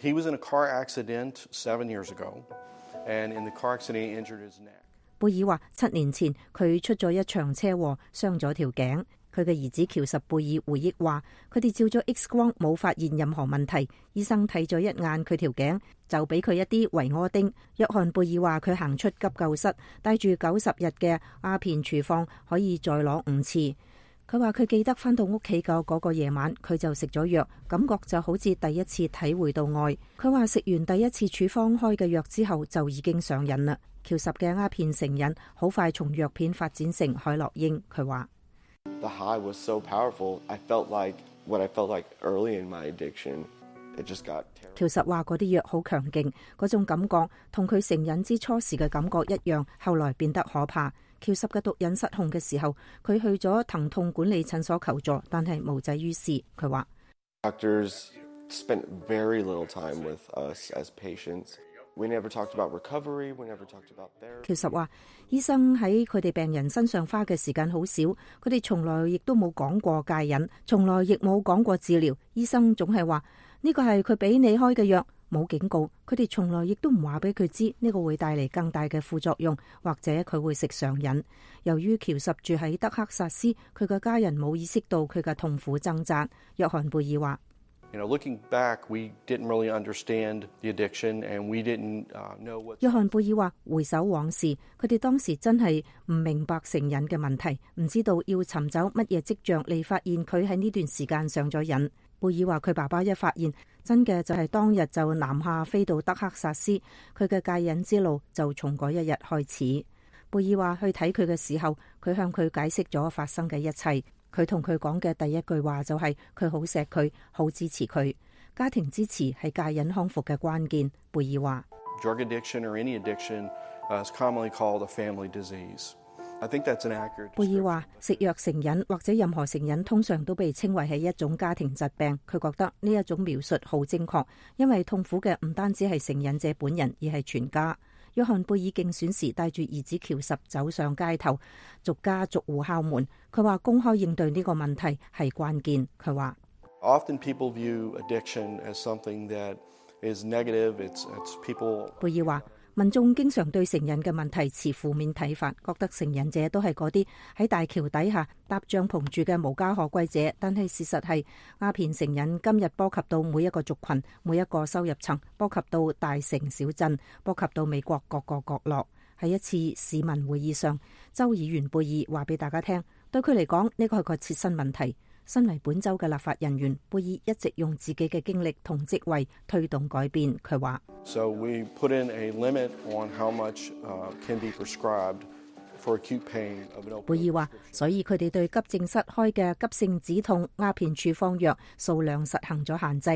：He was in a car accident 7 years ago, and in the car accident he injured his neck. 貝爾話7年前佢出咗一場車禍，傷咗條頸。佢嘅兒子喬什貝爾回憶話，佢哋照咗 X 光冇發現任何問題，醫生睇咗一眼佢條頸，就俾佢一啲維柯丁。約翰貝爾話佢行出急救室，帶住90日嘅鴉片處方，可以再攞5次。佢話佢記得返到屋企嘅嗰個夜晚，佢就食咗藥，感覺就好似第一次體會到愛。佢話食完第一次處方開嘅藥之後，就已經上癮啦。喬什嘅鴉片成癮好快從藥片發展成海洛因。佢話：The high was so powerful. I felt like what I felt like early in my addiction. It just got terrible. 喬什話嗰啲藥好強勁，嗰種感覺同佢成癮之初時嘅感覺一樣，後來變得可怕。喬什嘅毒癮失控嘅時候，佢去咗疼痛管理診所求助，但係無濟於事。佢話 Doctors spent very little time with us as patients. We never talked about recovery. We never talked about therapy. 喬什話，醫生喺佢哋病人身上花嘅時間好少，佢哋從來亦都冇講過戒癮，從來亦冇講過治療。醫生總係話呢個係佢俾你開嘅藥，冇警告。佢哋從來亦都唔話俾佢知呢個會帶嚟更大嘅副作用，或者佢會食上癮。由於喬什住喺德克薩斯，佢嘅家人冇意識到佢嘅痛苦掙扎。約翰貝爾話：Looking back, we didn't really understand the addiction, and we didn't know what. 約翰貝爾話：回首往事，佢哋當時真係唔明白成癮嘅問題，唔知道要尋找乜嘢跡象嚟發現佢喺呢段時間上咗癮。貝爾話佢爸爸一發現真嘅就係當日就南下飛到德克薩斯，佢嘅戒癮之路就從嗰一日開始。貝爾話去睇佢嘅時候，佢向佢解釋咗發生嘅一切。佢同佢講嘅第一句話就係佢好錫佢，好支持佢。家庭支持係戒癮康復嘅關鍵。貝爾話 Drug addiction or any addiction is commonly called a family disease. I think that's an accurate. 貝爾話食藥成癮或者任何成癮通常都被稱為係一種家庭疾病。佢覺得呢一種描述好精確，因為痛苦嘅唔單止係成癮者本人，而係全家。約翰貝爾競選時帶住兒子喬什走上街頭，逐家逐戶敲門。佢話公開應對呢個問題係關鍵。佢話 Often people view addiction as something that is negative. It's people. 貝爾話民眾經常對成癮嘅問題持負面睇法，覺得成癮者都係嗰啲喺大橋底下搭帳篷住嘅無家可歸者。但係事實係鴉片成癮今日波及到每一個族群、每一個收入層，波及到大城小鎮，波及到美國各個角落。喺一次市民會議上，州議員貝爾話俾大家聽，對佢嚟講呢個係個切身問題。身為本州嘅立法人員，貝爾一直用自己嘅經歷同職位推動改變。佢話 So we put in a limit on how much can be prescribed for acute pain of an opioid. 貝爾話，所以佢哋對急症室開嘅急性止痛鴉片處方藥數量實行咗限制。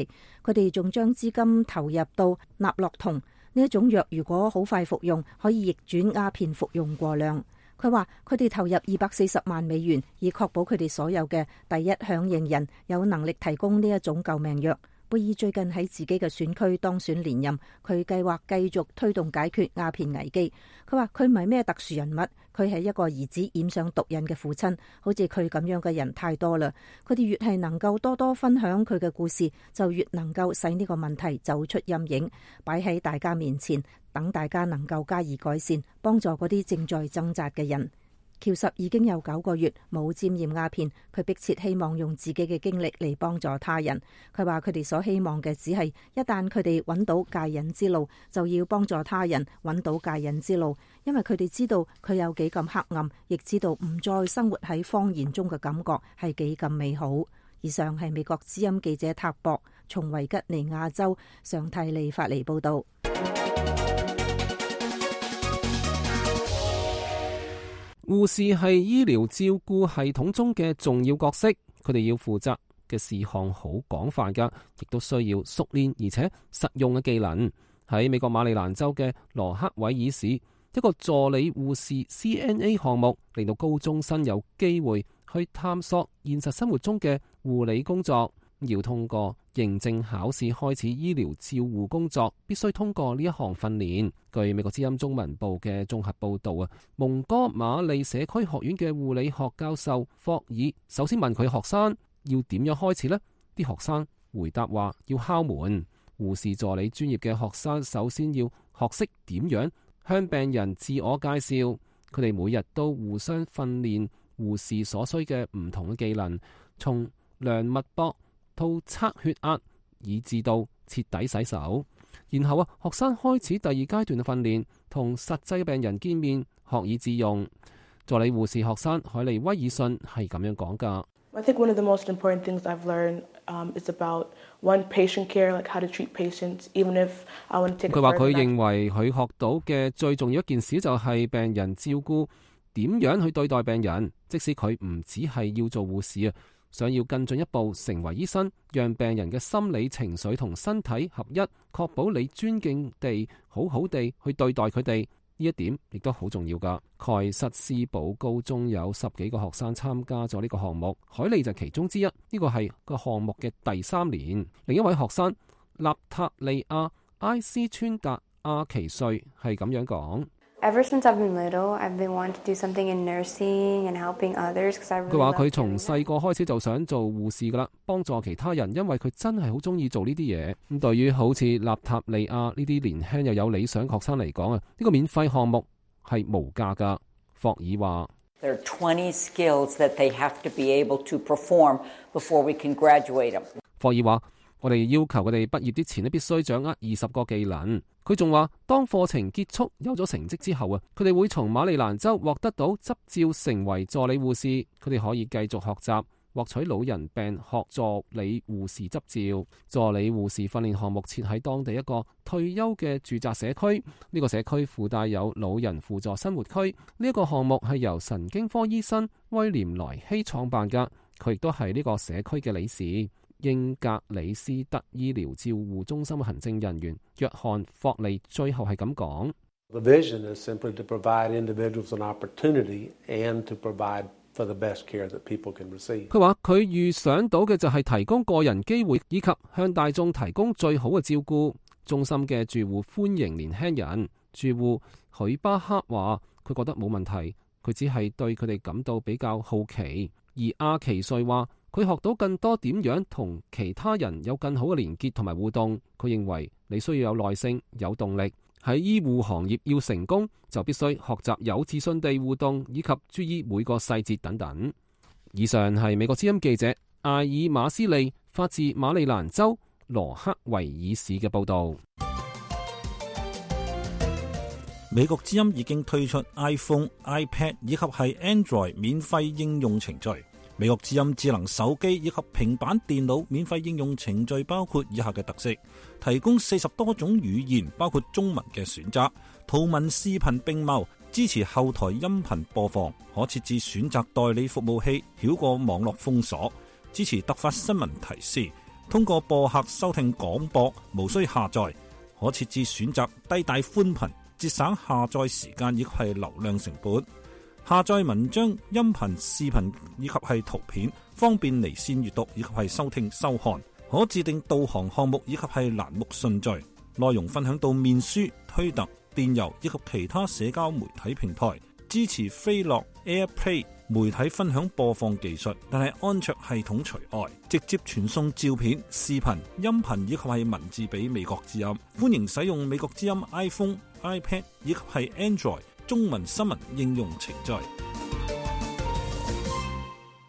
佢哋仲將資金投入到納洛酮呢一種藥，如果好快服用，可以逆轉鴉片服用過量。佢話佢哋投入240萬美元，以確保佢哋所有嘅第一響應人有能力提供呢一種救命藥。貝爾最近喺自己嘅選區當選連任，佢計劃繼續推動解決鴉片危機。佢話佢唔係咩特殊人物，佢係一個兒子染上毒癮嘅父親，好似佢咁樣嘅人太多啦。佢哋越係能夠多多分享佢嘅故事，就越能夠使呢個問題走出陰影，擺喺大家面前，等大家能夠加以改善，幫助嗰啲正在掙扎嘅人。喬什已經有9個月冇沾染鴉片，佢迫切希望用自己嘅經歷嚟幫助他人。佢話佢哋所希望嘅只係一旦佢哋揾到戒癮之路，就要幫助他人揾到戒癮之路，因為佢哋知道佢有幾咁黑暗，亦知道唔再生活喺謊言中嘅感覺係幾咁美好。以上係美國之音記者塔博從維吉尼亞州上蒂利發嚟報道。護士係醫療照顧系統中嘅重要角色，佢哋要負責嘅事項好廣泛噶，亦都需要熟練而且實用嘅技能。喺美國馬里蘭州嘅羅克維爾市，一個助理護士 CNA 項目令到高中生有機會去探索現實生活中嘅護理工作。要通過認證考試開始醫療照護工作，必須通過呢一項訓練。據美國之音中文部嘅綜合報道啊，蒙哥馬利社區學院嘅護理學教授霍爾首先問佢學生要點樣開始呢？啲學生回答話要敲門。護士助理專業嘅學生首先要學識點樣向病人自我介紹，佢哋每日都互相訓練護士所需嘅唔同嘅技能，從量脈搏到測血壓，以至到徹底洗手。然後學生開始第二階段嘅訓練，同實際病人見面，學以致用。助理護士學生海利威爾遜係咁樣講㗎。I think one of the most important things I've learned is about one patient care, like how to treat patients, even if I want to take a further. 佢話佢認為佢學到嘅最重要一件事就係病人照顧點樣去對待病人，即使佢唔只係要做護士啊。想要更進一步成為醫生，讓病人嘅心理情緒同身體合一，確保你尊敬地好好地去對待佢哋，呢一點亦都好重要㗎。蓋瑟斯堡高中有10幾個學生參加咗呢個項目，海利就其中之一。呢個係個項目嘅第3年。另一位學生納塔利亞埃斯川達阿奇瑞係咁樣講。Ever since I've been little, I've been wanting to do something in nursing and helping others. 佢話佢從細個開始就想做護士噶啦，幫助其他人，因為佢真係好中意做呢啲嘢。咁對於好似納塔利亞呢啲年輕又有理想學生嚟講啊，呢個免費項目係無價噶。霍爾話 There are 20 skills that they have to be able to perform before we can graduate them. 霍爾話我哋要求佢哋畢業之前咧，必須掌握20個技能。佢仲話，當課程結束有咗成績之後啊，佢哋會從馬里蘭州獲得到執照，成為助理護士。佢哋可以繼續學習，獲取老人病學助理護士執照。助理護士訓練項目設喺當地一個退休嘅住宅社區，呢個社區附帶有老人輔助生活區。呢一個項目係由神經科醫生威廉萊希創辦㗎，佢亦都係呢個社區嘅理事。英格里斯特醫療照護中心嘅行政人員約翰霍利最後係咁講。The vision is simply to provide individuals an opportunity and to provide for the best care that people can receive. 佢話佢預想到嘅就係提供個人機會，以及向大眾提供最好嘅照顧。中心嘅住戶歡迎年輕人。住戶許巴克話佢覺得冇問題，佢只係對佢哋感到比較好奇。而阿奇瑞話佢學到更多點樣同其他人有更好嘅連結同埋互動。佢認為你需要有耐性、有動力。喺醫護行業要成功，就必須學習有自信地互動，以及注意每個細節等等。以上係美國之音記者艾爾馬斯利發自馬里蘭州羅克維爾市嘅報導。美國之音已經推出 iPhone、iPad 以及係 Android 免費應用程序。美國之音智能手機以及平板電腦免費應用程序包括以下嘅特色：提供40多種語言，包括中文嘅選擇，圖文視頻並茂，支持後台音頻播放，可設置選擇代理服務器，繞過網絡封鎖，支持突發新聞提示，通過播客收聽廣播，無需下載，可設置選擇低帶寬頻，節省下載時間以及係流量成本。下載文章、音頻、視頻以及係圖片，方便離線閱讀以及係收聽收看。可自定導航項目以及係欄目順序。內容分享到面書、推特、電郵以及其他社交媒體平台。支持飛樂 AirPlay 媒體分享播放技術，但係安卓系統除外。直接傳送照片、視頻、音頻以及係文字俾美國之音。歡迎使用美國之音 iPhone、iPad 以及係 Android中文新聞應用程序。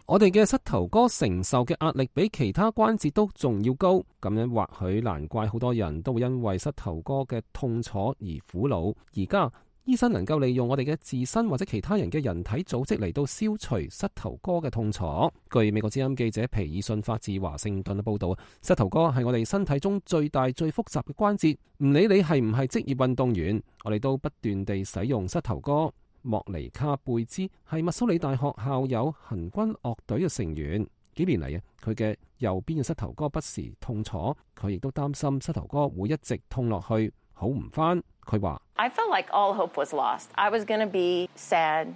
我哋嘅膝頭哥承受嘅壓力比其他關節都仲要高，咁樣或許難怪好多人都會因為膝頭哥嘅痛楚而苦惱。而家醫生能夠利用我哋嘅自身或者其他人嘅人體組織嚟到消除膝頭哥嘅痛楚。據美國之音記者皮爾遜發自華盛頓嘅報道，膝頭哥係我哋身體中最大最複雜嘅關節，唔理你係唔係職業運動員，我哋都不斷地使用膝頭哥。莫尼卡貝茲係密蘇里大學校友行軍樂隊嘅成員，幾年嚟佢嘅右邊嘅膝頭哥不時痛楚，佢亦都擔心膝頭哥會一直痛落去，好唔返。佢話I felt like all hope was lost. I was going to be sad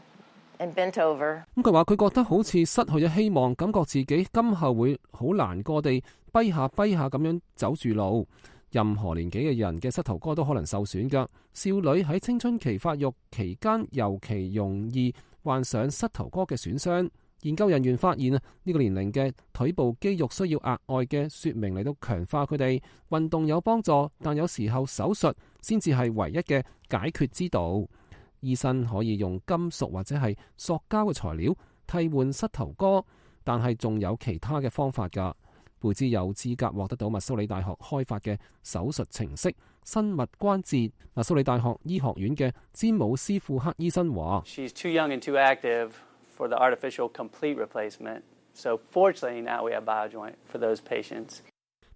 and bent over. 佢話佢覺得好似失去咗希望，感覺自己今後會好難過地跛下咁樣走住路。任何年紀嘅人嘅膝頭哥都可能受損㗎。少女喺青春期發育期間尤其容易患上膝頭哥嘅損傷。研究人員發現呢個年齡嘅腿部肌肉需要額外嘅說明嚟到強化佢哋。運動有幫助，但有時候手術先至係唯一嘅解決之道。醫生可以用金屬或者係塑膠嘅材料替換膝頭哥，但係仲有其他嘅方法㗎。貝茲有資格獲得到密蘇里大學開發嘅手術程式生物關節。密蘇里大學醫學院嘅詹姆斯庫克醫生話：She's too young and too active for the artificial complete replacement. So fortunately now we have BioJoint for those patients.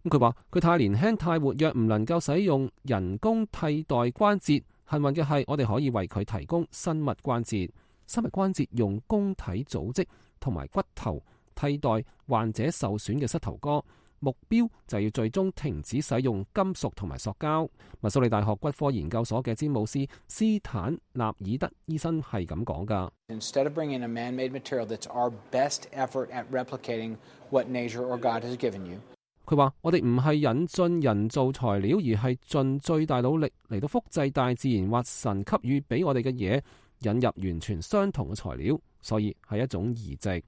佢話佢太年輕太活躍，唔能夠使用人工替代關節。幸運嘅係，我哋可以為佢提供生物關節。生物關節用公體組織同埋骨頭替代患者受損嘅膝頭哥，目標就要最終停止使用金屬同埋塑膠。密蘇里大學骨科研究所嘅詹姆斯斯坦納爾德醫生係咁講㗎。Instead of bringing a man-made material that's our best effort at replicating what nature or God has given you. 佢話：我哋唔係引進人造材料，而係盡最大努力嚟到複製大自然或神給予俾我哋嘅嘢，引入完全相同嘅材料，所以係一種移植。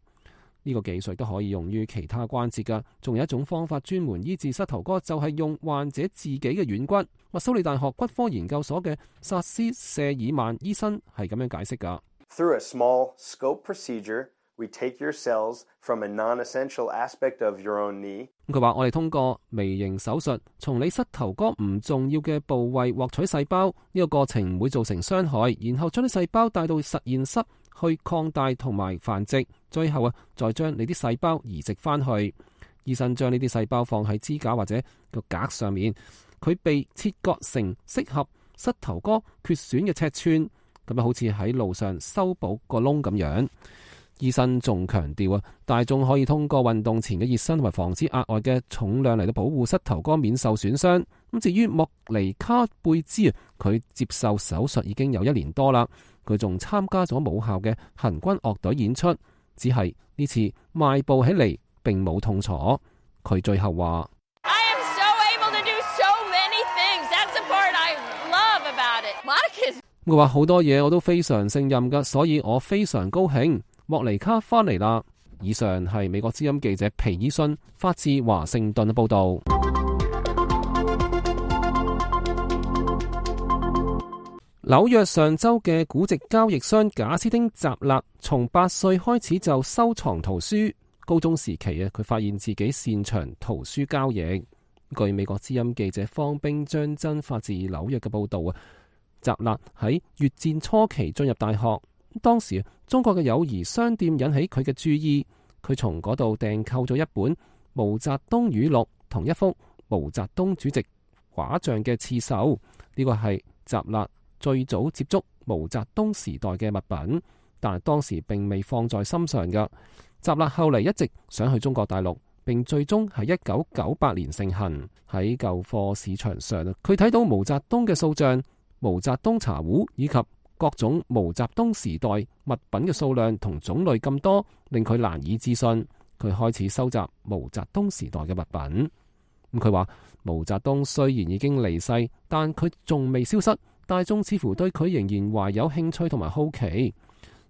呢個技術都可以用於其他關節㗎。仲有一種方法專門醫治膝頭哥，就係用患者自己嘅軟骨。密蘇里大學骨科研究所嘅薩斯謝爾曼醫生係咁樣解釋㗎。Through a small scope procedure, We take your cells from a non-essential aspect of your own knee. 佢話：我哋通過微型手術，從你膝頭哥唔重要嘅部位獲取細胞，呢個過程唔會造成傷害，然後將啲細胞帶到實驗室去擴大同埋繁殖，最後再將你啲細胞移植翻去。醫生將呢啲細胞放喺支架或者個格上面，佢被切割成適合膝頭哥缺損嘅尺寸，咁好似喺路上修補個窿咁樣。醫生仲強調大眾可以通過運動前嘅熱身同埋防止額外嘅重量嚟到保護膝頭哥免受損傷。咁至於莫尼卡貝茲佢接受手術已經有1年多啦，佢仲參加咗母校嘅行軍樂隊演出，只係呢次邁步起嚟並冇痛楚。佢最後話：佢話好多嘢我都非常勝任㗎，所以我非常高興。莫尼卡翻嚟啦！以上係美國之音記者皮爾遜發自華盛頓嘅報導。紐約上週嘅古籍交易商賈斯汀·澤勒從8歲開始就收藏圖書，高中時期佢發現自己擅長圖書交易。據美國之音記者方冰張真發自紐約嘅報導澤勒喺越戰初期進入大學，當時中國嘅友誼商店引起佢嘅注意，佢從嗰度訂購咗一本毛澤東語錄同一幅毛澤東主席畫像嘅刺繡，呢個係澤勒最早接觸毛澤東時代嘅物品，但係當時並未放在心上嘅。澤勒後嚟一直想去中國大陸，並最終喺1998年盛行。喺舊貨市場上，佢睇到毛澤東嘅塑像、毛澤東茶壺以及各種毛澤東時代物品嘅數量同種類咁多，令佢難以置信。佢開始收集毛澤東時代嘅物品。佢話毛澤東雖然已經離世，但佢仲未消失，大眾似乎對佢仍然懷有興趣同埋好奇。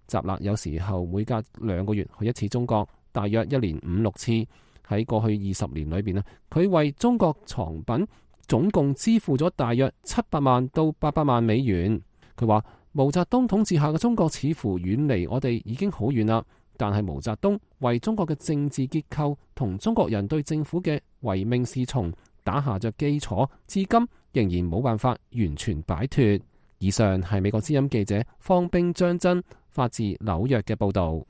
澤勒有時候每隔2個月去一次中國，大約1年5-6次。喺過去20年裏邊佢為中國藏品總共支付咗大約700萬到800萬美元。佢話毛澤東統治下嘅中國似乎遠離我哋已經好遠啦，但係毛澤東為中國嘅政治結構同中國人對政府嘅唯命是從打下着基礎，至今仍然冇辦法完全擺脫。以上係美國之音記者方冰張真發自紐約嘅報導。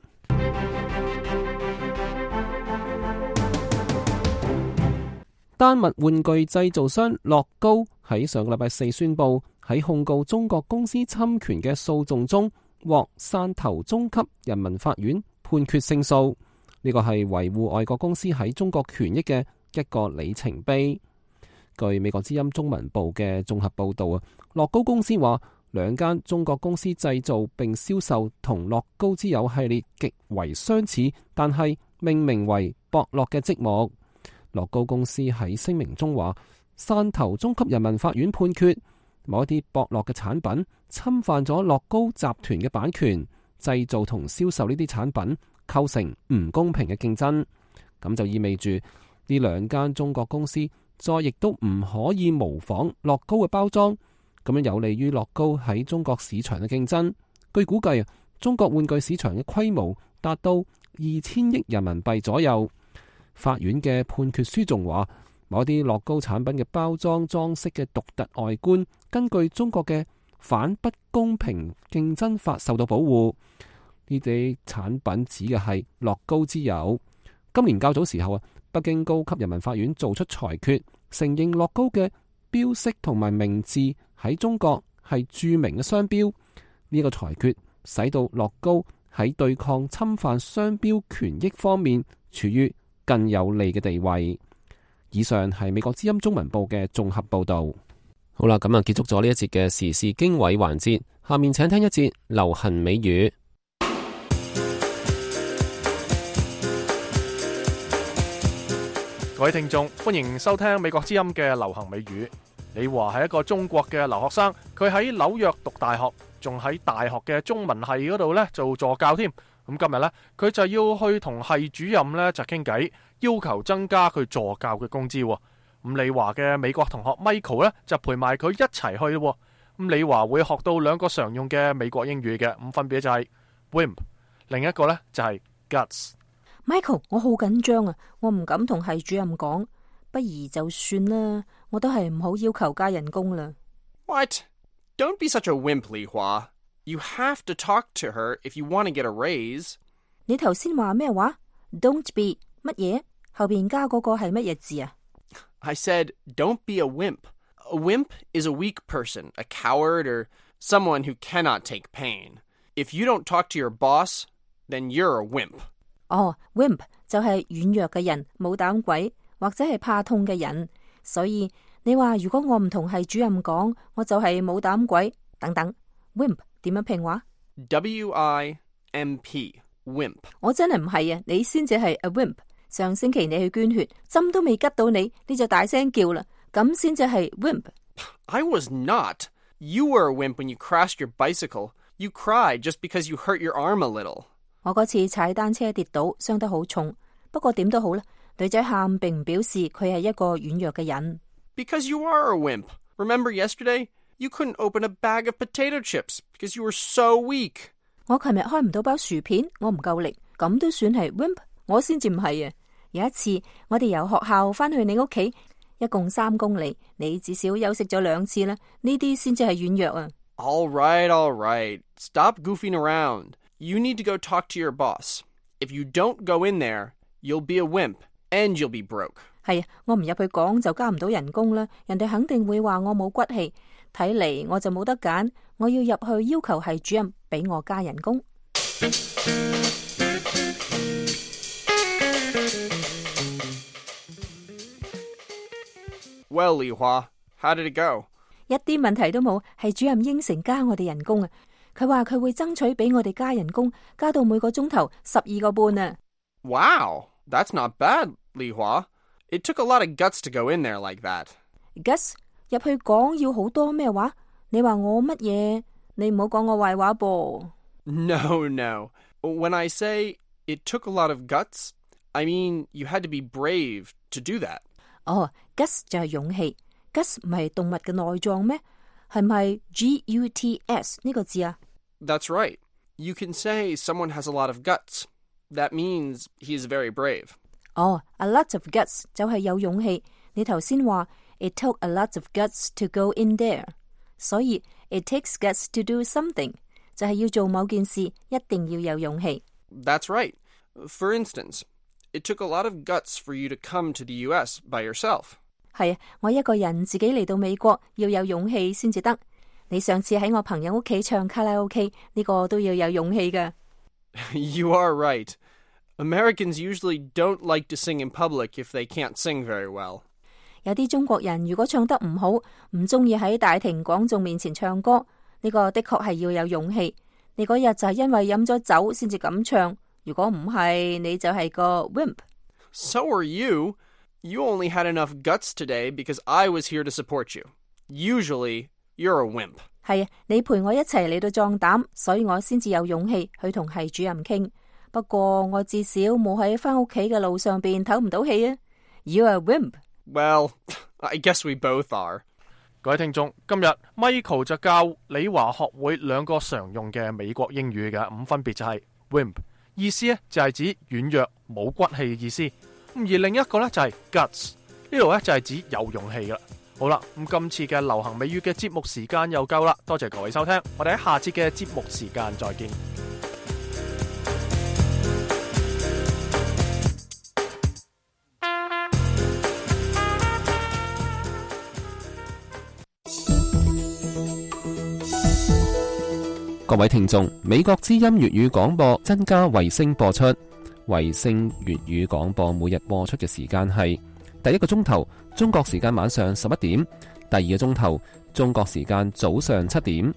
丹麥玩具製造商樂高喺上個禮拜4宣布，喺控告中國公司侵權嘅訴訟中，獲汕頭中級人民法院判決勝訴。呢個係維護外國公司喺中國權益嘅一個里程碑。據美國之音中文部嘅綜合報導樂高公司話，2間中國公司製造並銷售同樂高之友系列極為相似，但係命名為博樂嘅積木。樂高公司喺聲明中話，汕頭中級人民法院判決某一啲博樂嘅產品侵犯咗樂高集團嘅版權，製造同銷售呢啲產品構成唔公平嘅競爭。咁就意味住呢2間中國公司再亦都唔可以模仿樂高嘅包裝，咁樣有利於樂高喺中國市場嘅競爭。據估計中國玩具市場嘅規模達到2000億人民幣左右。法院嘅判決書仲話，某啲樂高產品嘅包裝裝飾嘅獨特外觀，根據中國嘅反不公平競爭法受到保護。呢啲產品指嘅係樂高之友。今年較早時候北京高級人民法院做出裁決，承認樂高嘅標識同埋名字喺中國係著名嘅商標。呢個裁決使到樂高喺對抗侵犯商標權益方面處於更有利嘅地位。以上係美國之音中文部嘅綜合報導。好啦，咁結束咗呢一節嘅時事經緯環節，下面請聽一節流行美語。各位聽眾，歡迎收聽美國之音嘅流行美語。李華係一個中國嘅留學生，佢喺紐約讀大學，仲喺大學嘅中文系嗰度做助教添。咁今日呢，佢就要去同系主任呢就傾偈，要求增加佢助教嘅工資。咁李華嘅美國同學 Michael 呢就陪埋佢一齊去咯。咁李華會學到2個常用嘅美國英語嘅，咁分別就係 wimp， 另一個呢就係 guts。Michael， 我好緊張啊，我唔敢同系主任講，不如就算啦，我都係唔好要求加人工啦。What? Don't be such a wimp, Li Hua. You have to talk to her if you want to get a raise. 你頭先話咩話 ？Don't be 乜嘢？後邊加嗰個係乜嘢字啊？ I said, don't be a wimp. A wimp is a weak person, a coward, or someone who cannot take pain. If you don't talk to your boss, then you're a wimp. 哦 ，wimp 就係軟弱嘅人，冇膽鬼或者係怕痛嘅人。所以你話如果我唔同系主任講，我就係冇膽鬼等等。wimp 點樣拼話 ？W-I-M-P wimp。我真係唔係啊，你先至係 a wimp。上星期你去捐血，針都未吉到你，你就大聲叫啦，咁先至係 wimp。I was not. You were a wimp when you crashed your bicycle. You cried just because you hurt your arm a little. 我嗰次踩單車跌倒，傷得好重。不過點都好啦，女仔喊並唔表示佢係一個軟弱嘅人。Because you are a wimp. Remember yesterday? You couldn't open a bag of potato chips because you were so weak. 我琴日開唔到包薯片，我唔夠力，咁都算係 wimp？ 我先至唔係啊！有一次我哋由學校翻去你屋企，一共3公里，你至少休息咗2次啦，呢啲先至係軟弱啊。All right. Stop goofing around. You need to go talk to your boss. If you don't go in there, you'll be a wimp and you'll be broke. 係啊，我唔入去講就加唔到人工啦，人哋肯定會話我冇骨氣。睇嚟我就冇得揀，我要入去要求系主任俾我加人工。Well, Li Hua, how did it go? 一啲問題都冇，系主任應承加我哋人工啊！佢話佢會爭取俾我哋加人工，加到每個鐘頭12個半啊！ Wow, that's not bad, Li Hua. It took a lot of guts to go in there like that. Guts 入去講要好多咩話？你話我乜嘢？你唔好講我壞話噃。No. When I say it took a lot of guts, I mean you had to be brave to do that. 哦 ，guts 就係勇氣。guts 唔係動物嘅內臟咩？係唔係 G-U-T-S 呢個字啊？ That's right. You can say someone has a lot of guts. That means he is very brave. 哦 ，a lot of guts 就係有勇氣。你頭先話 it took a lot of guts to go in there， 所以 it takes guts to do something 就係要做某件事，一定要有勇氣。That's right. For instance, it took a lot of guts for you to come to the US by yourself. 係啊，我一個人自己嚟到美國要有勇氣先至得。你上次喺我朋友屋企唱卡拉 OK 呢個都要有勇氣㗎。You are right. Americans usually don't like to sing in public if they can't sing very well. 有啲中國人如果唱得唔好，唔中意喺大庭廣眾面前唱歌，呢個的確係要有勇氣。你嗰日就係因為飲咗酒先至咁唱，如果唔係，你就係個 wimp。 So are you. You only had enough guts today because I was here to support you. Usually, you're a wimp. 係啊，你陪我一齊嚟到壯膽，所以我先至有勇氣去同系主任傾。不過我至少冇喺返屋企嘅路上邊唞唔到氣啊。You're a wimp. Well, I guess we both are. 各位聽眾，今日 Michael 就教李華學會2個常用嘅美國英語嘅，咁分別就係 wimp， 意思咧就係指軟弱冇骨氣嘅意思。而另一個咧就係 guts， 呢度咧就係指有勇氣噶。好啦，咁今次嘅流行美語嘅節目時間又夠啦，多謝各位收聽，我哋喺下次嘅節目時間再見。各位聽眾，美國之音粵語廣播增加衛星播出。衛星粵語廣播每日播出嘅時間係第1個鐘頭中國時間晚上11點，第2個鐘頭中國時間早上7點。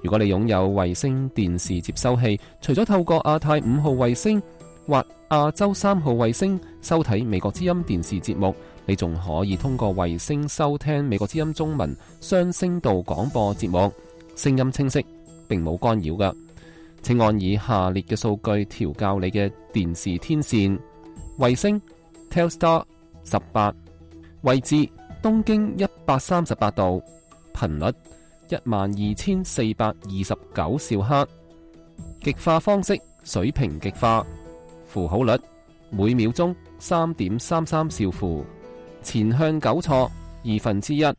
如果你擁有衛星電視接收器，除咗透過亞太5號衛星或亞洲3號衛星收睇美國之音電視節目，你仲可以通過衛星收聽美國之音中文雙聲道廣播節目，聲音清晰，並冇干擾㗎。請按以下列嘅數據調校你嘅電視天線：衛星 Telstar 18，位置東經138度，頻率12429兆赫，極化方式水平極化，符號率每秒鐘 3.33 兆符，前向糾錯1/2，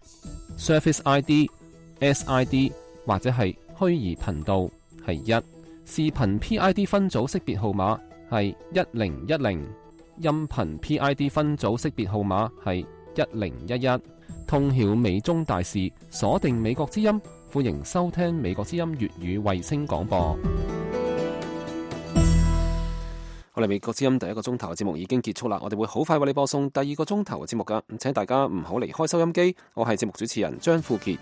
Surface ID、SID 或者係虛擬頻道係1，視頻 PID 分組識別號碼係1010，音頻 PID 分組識別號碼係1011。通曉美中大事，鎖定美國之音，歡迎收聽美國之音粵語衛星廣播。我哋美國之音第一個鐘頭嘅節目已經結束啦，我哋會好快為你播送第二個鐘頭嘅節目噶，請大家唔好離開收音機。我係節目主持人張富傑。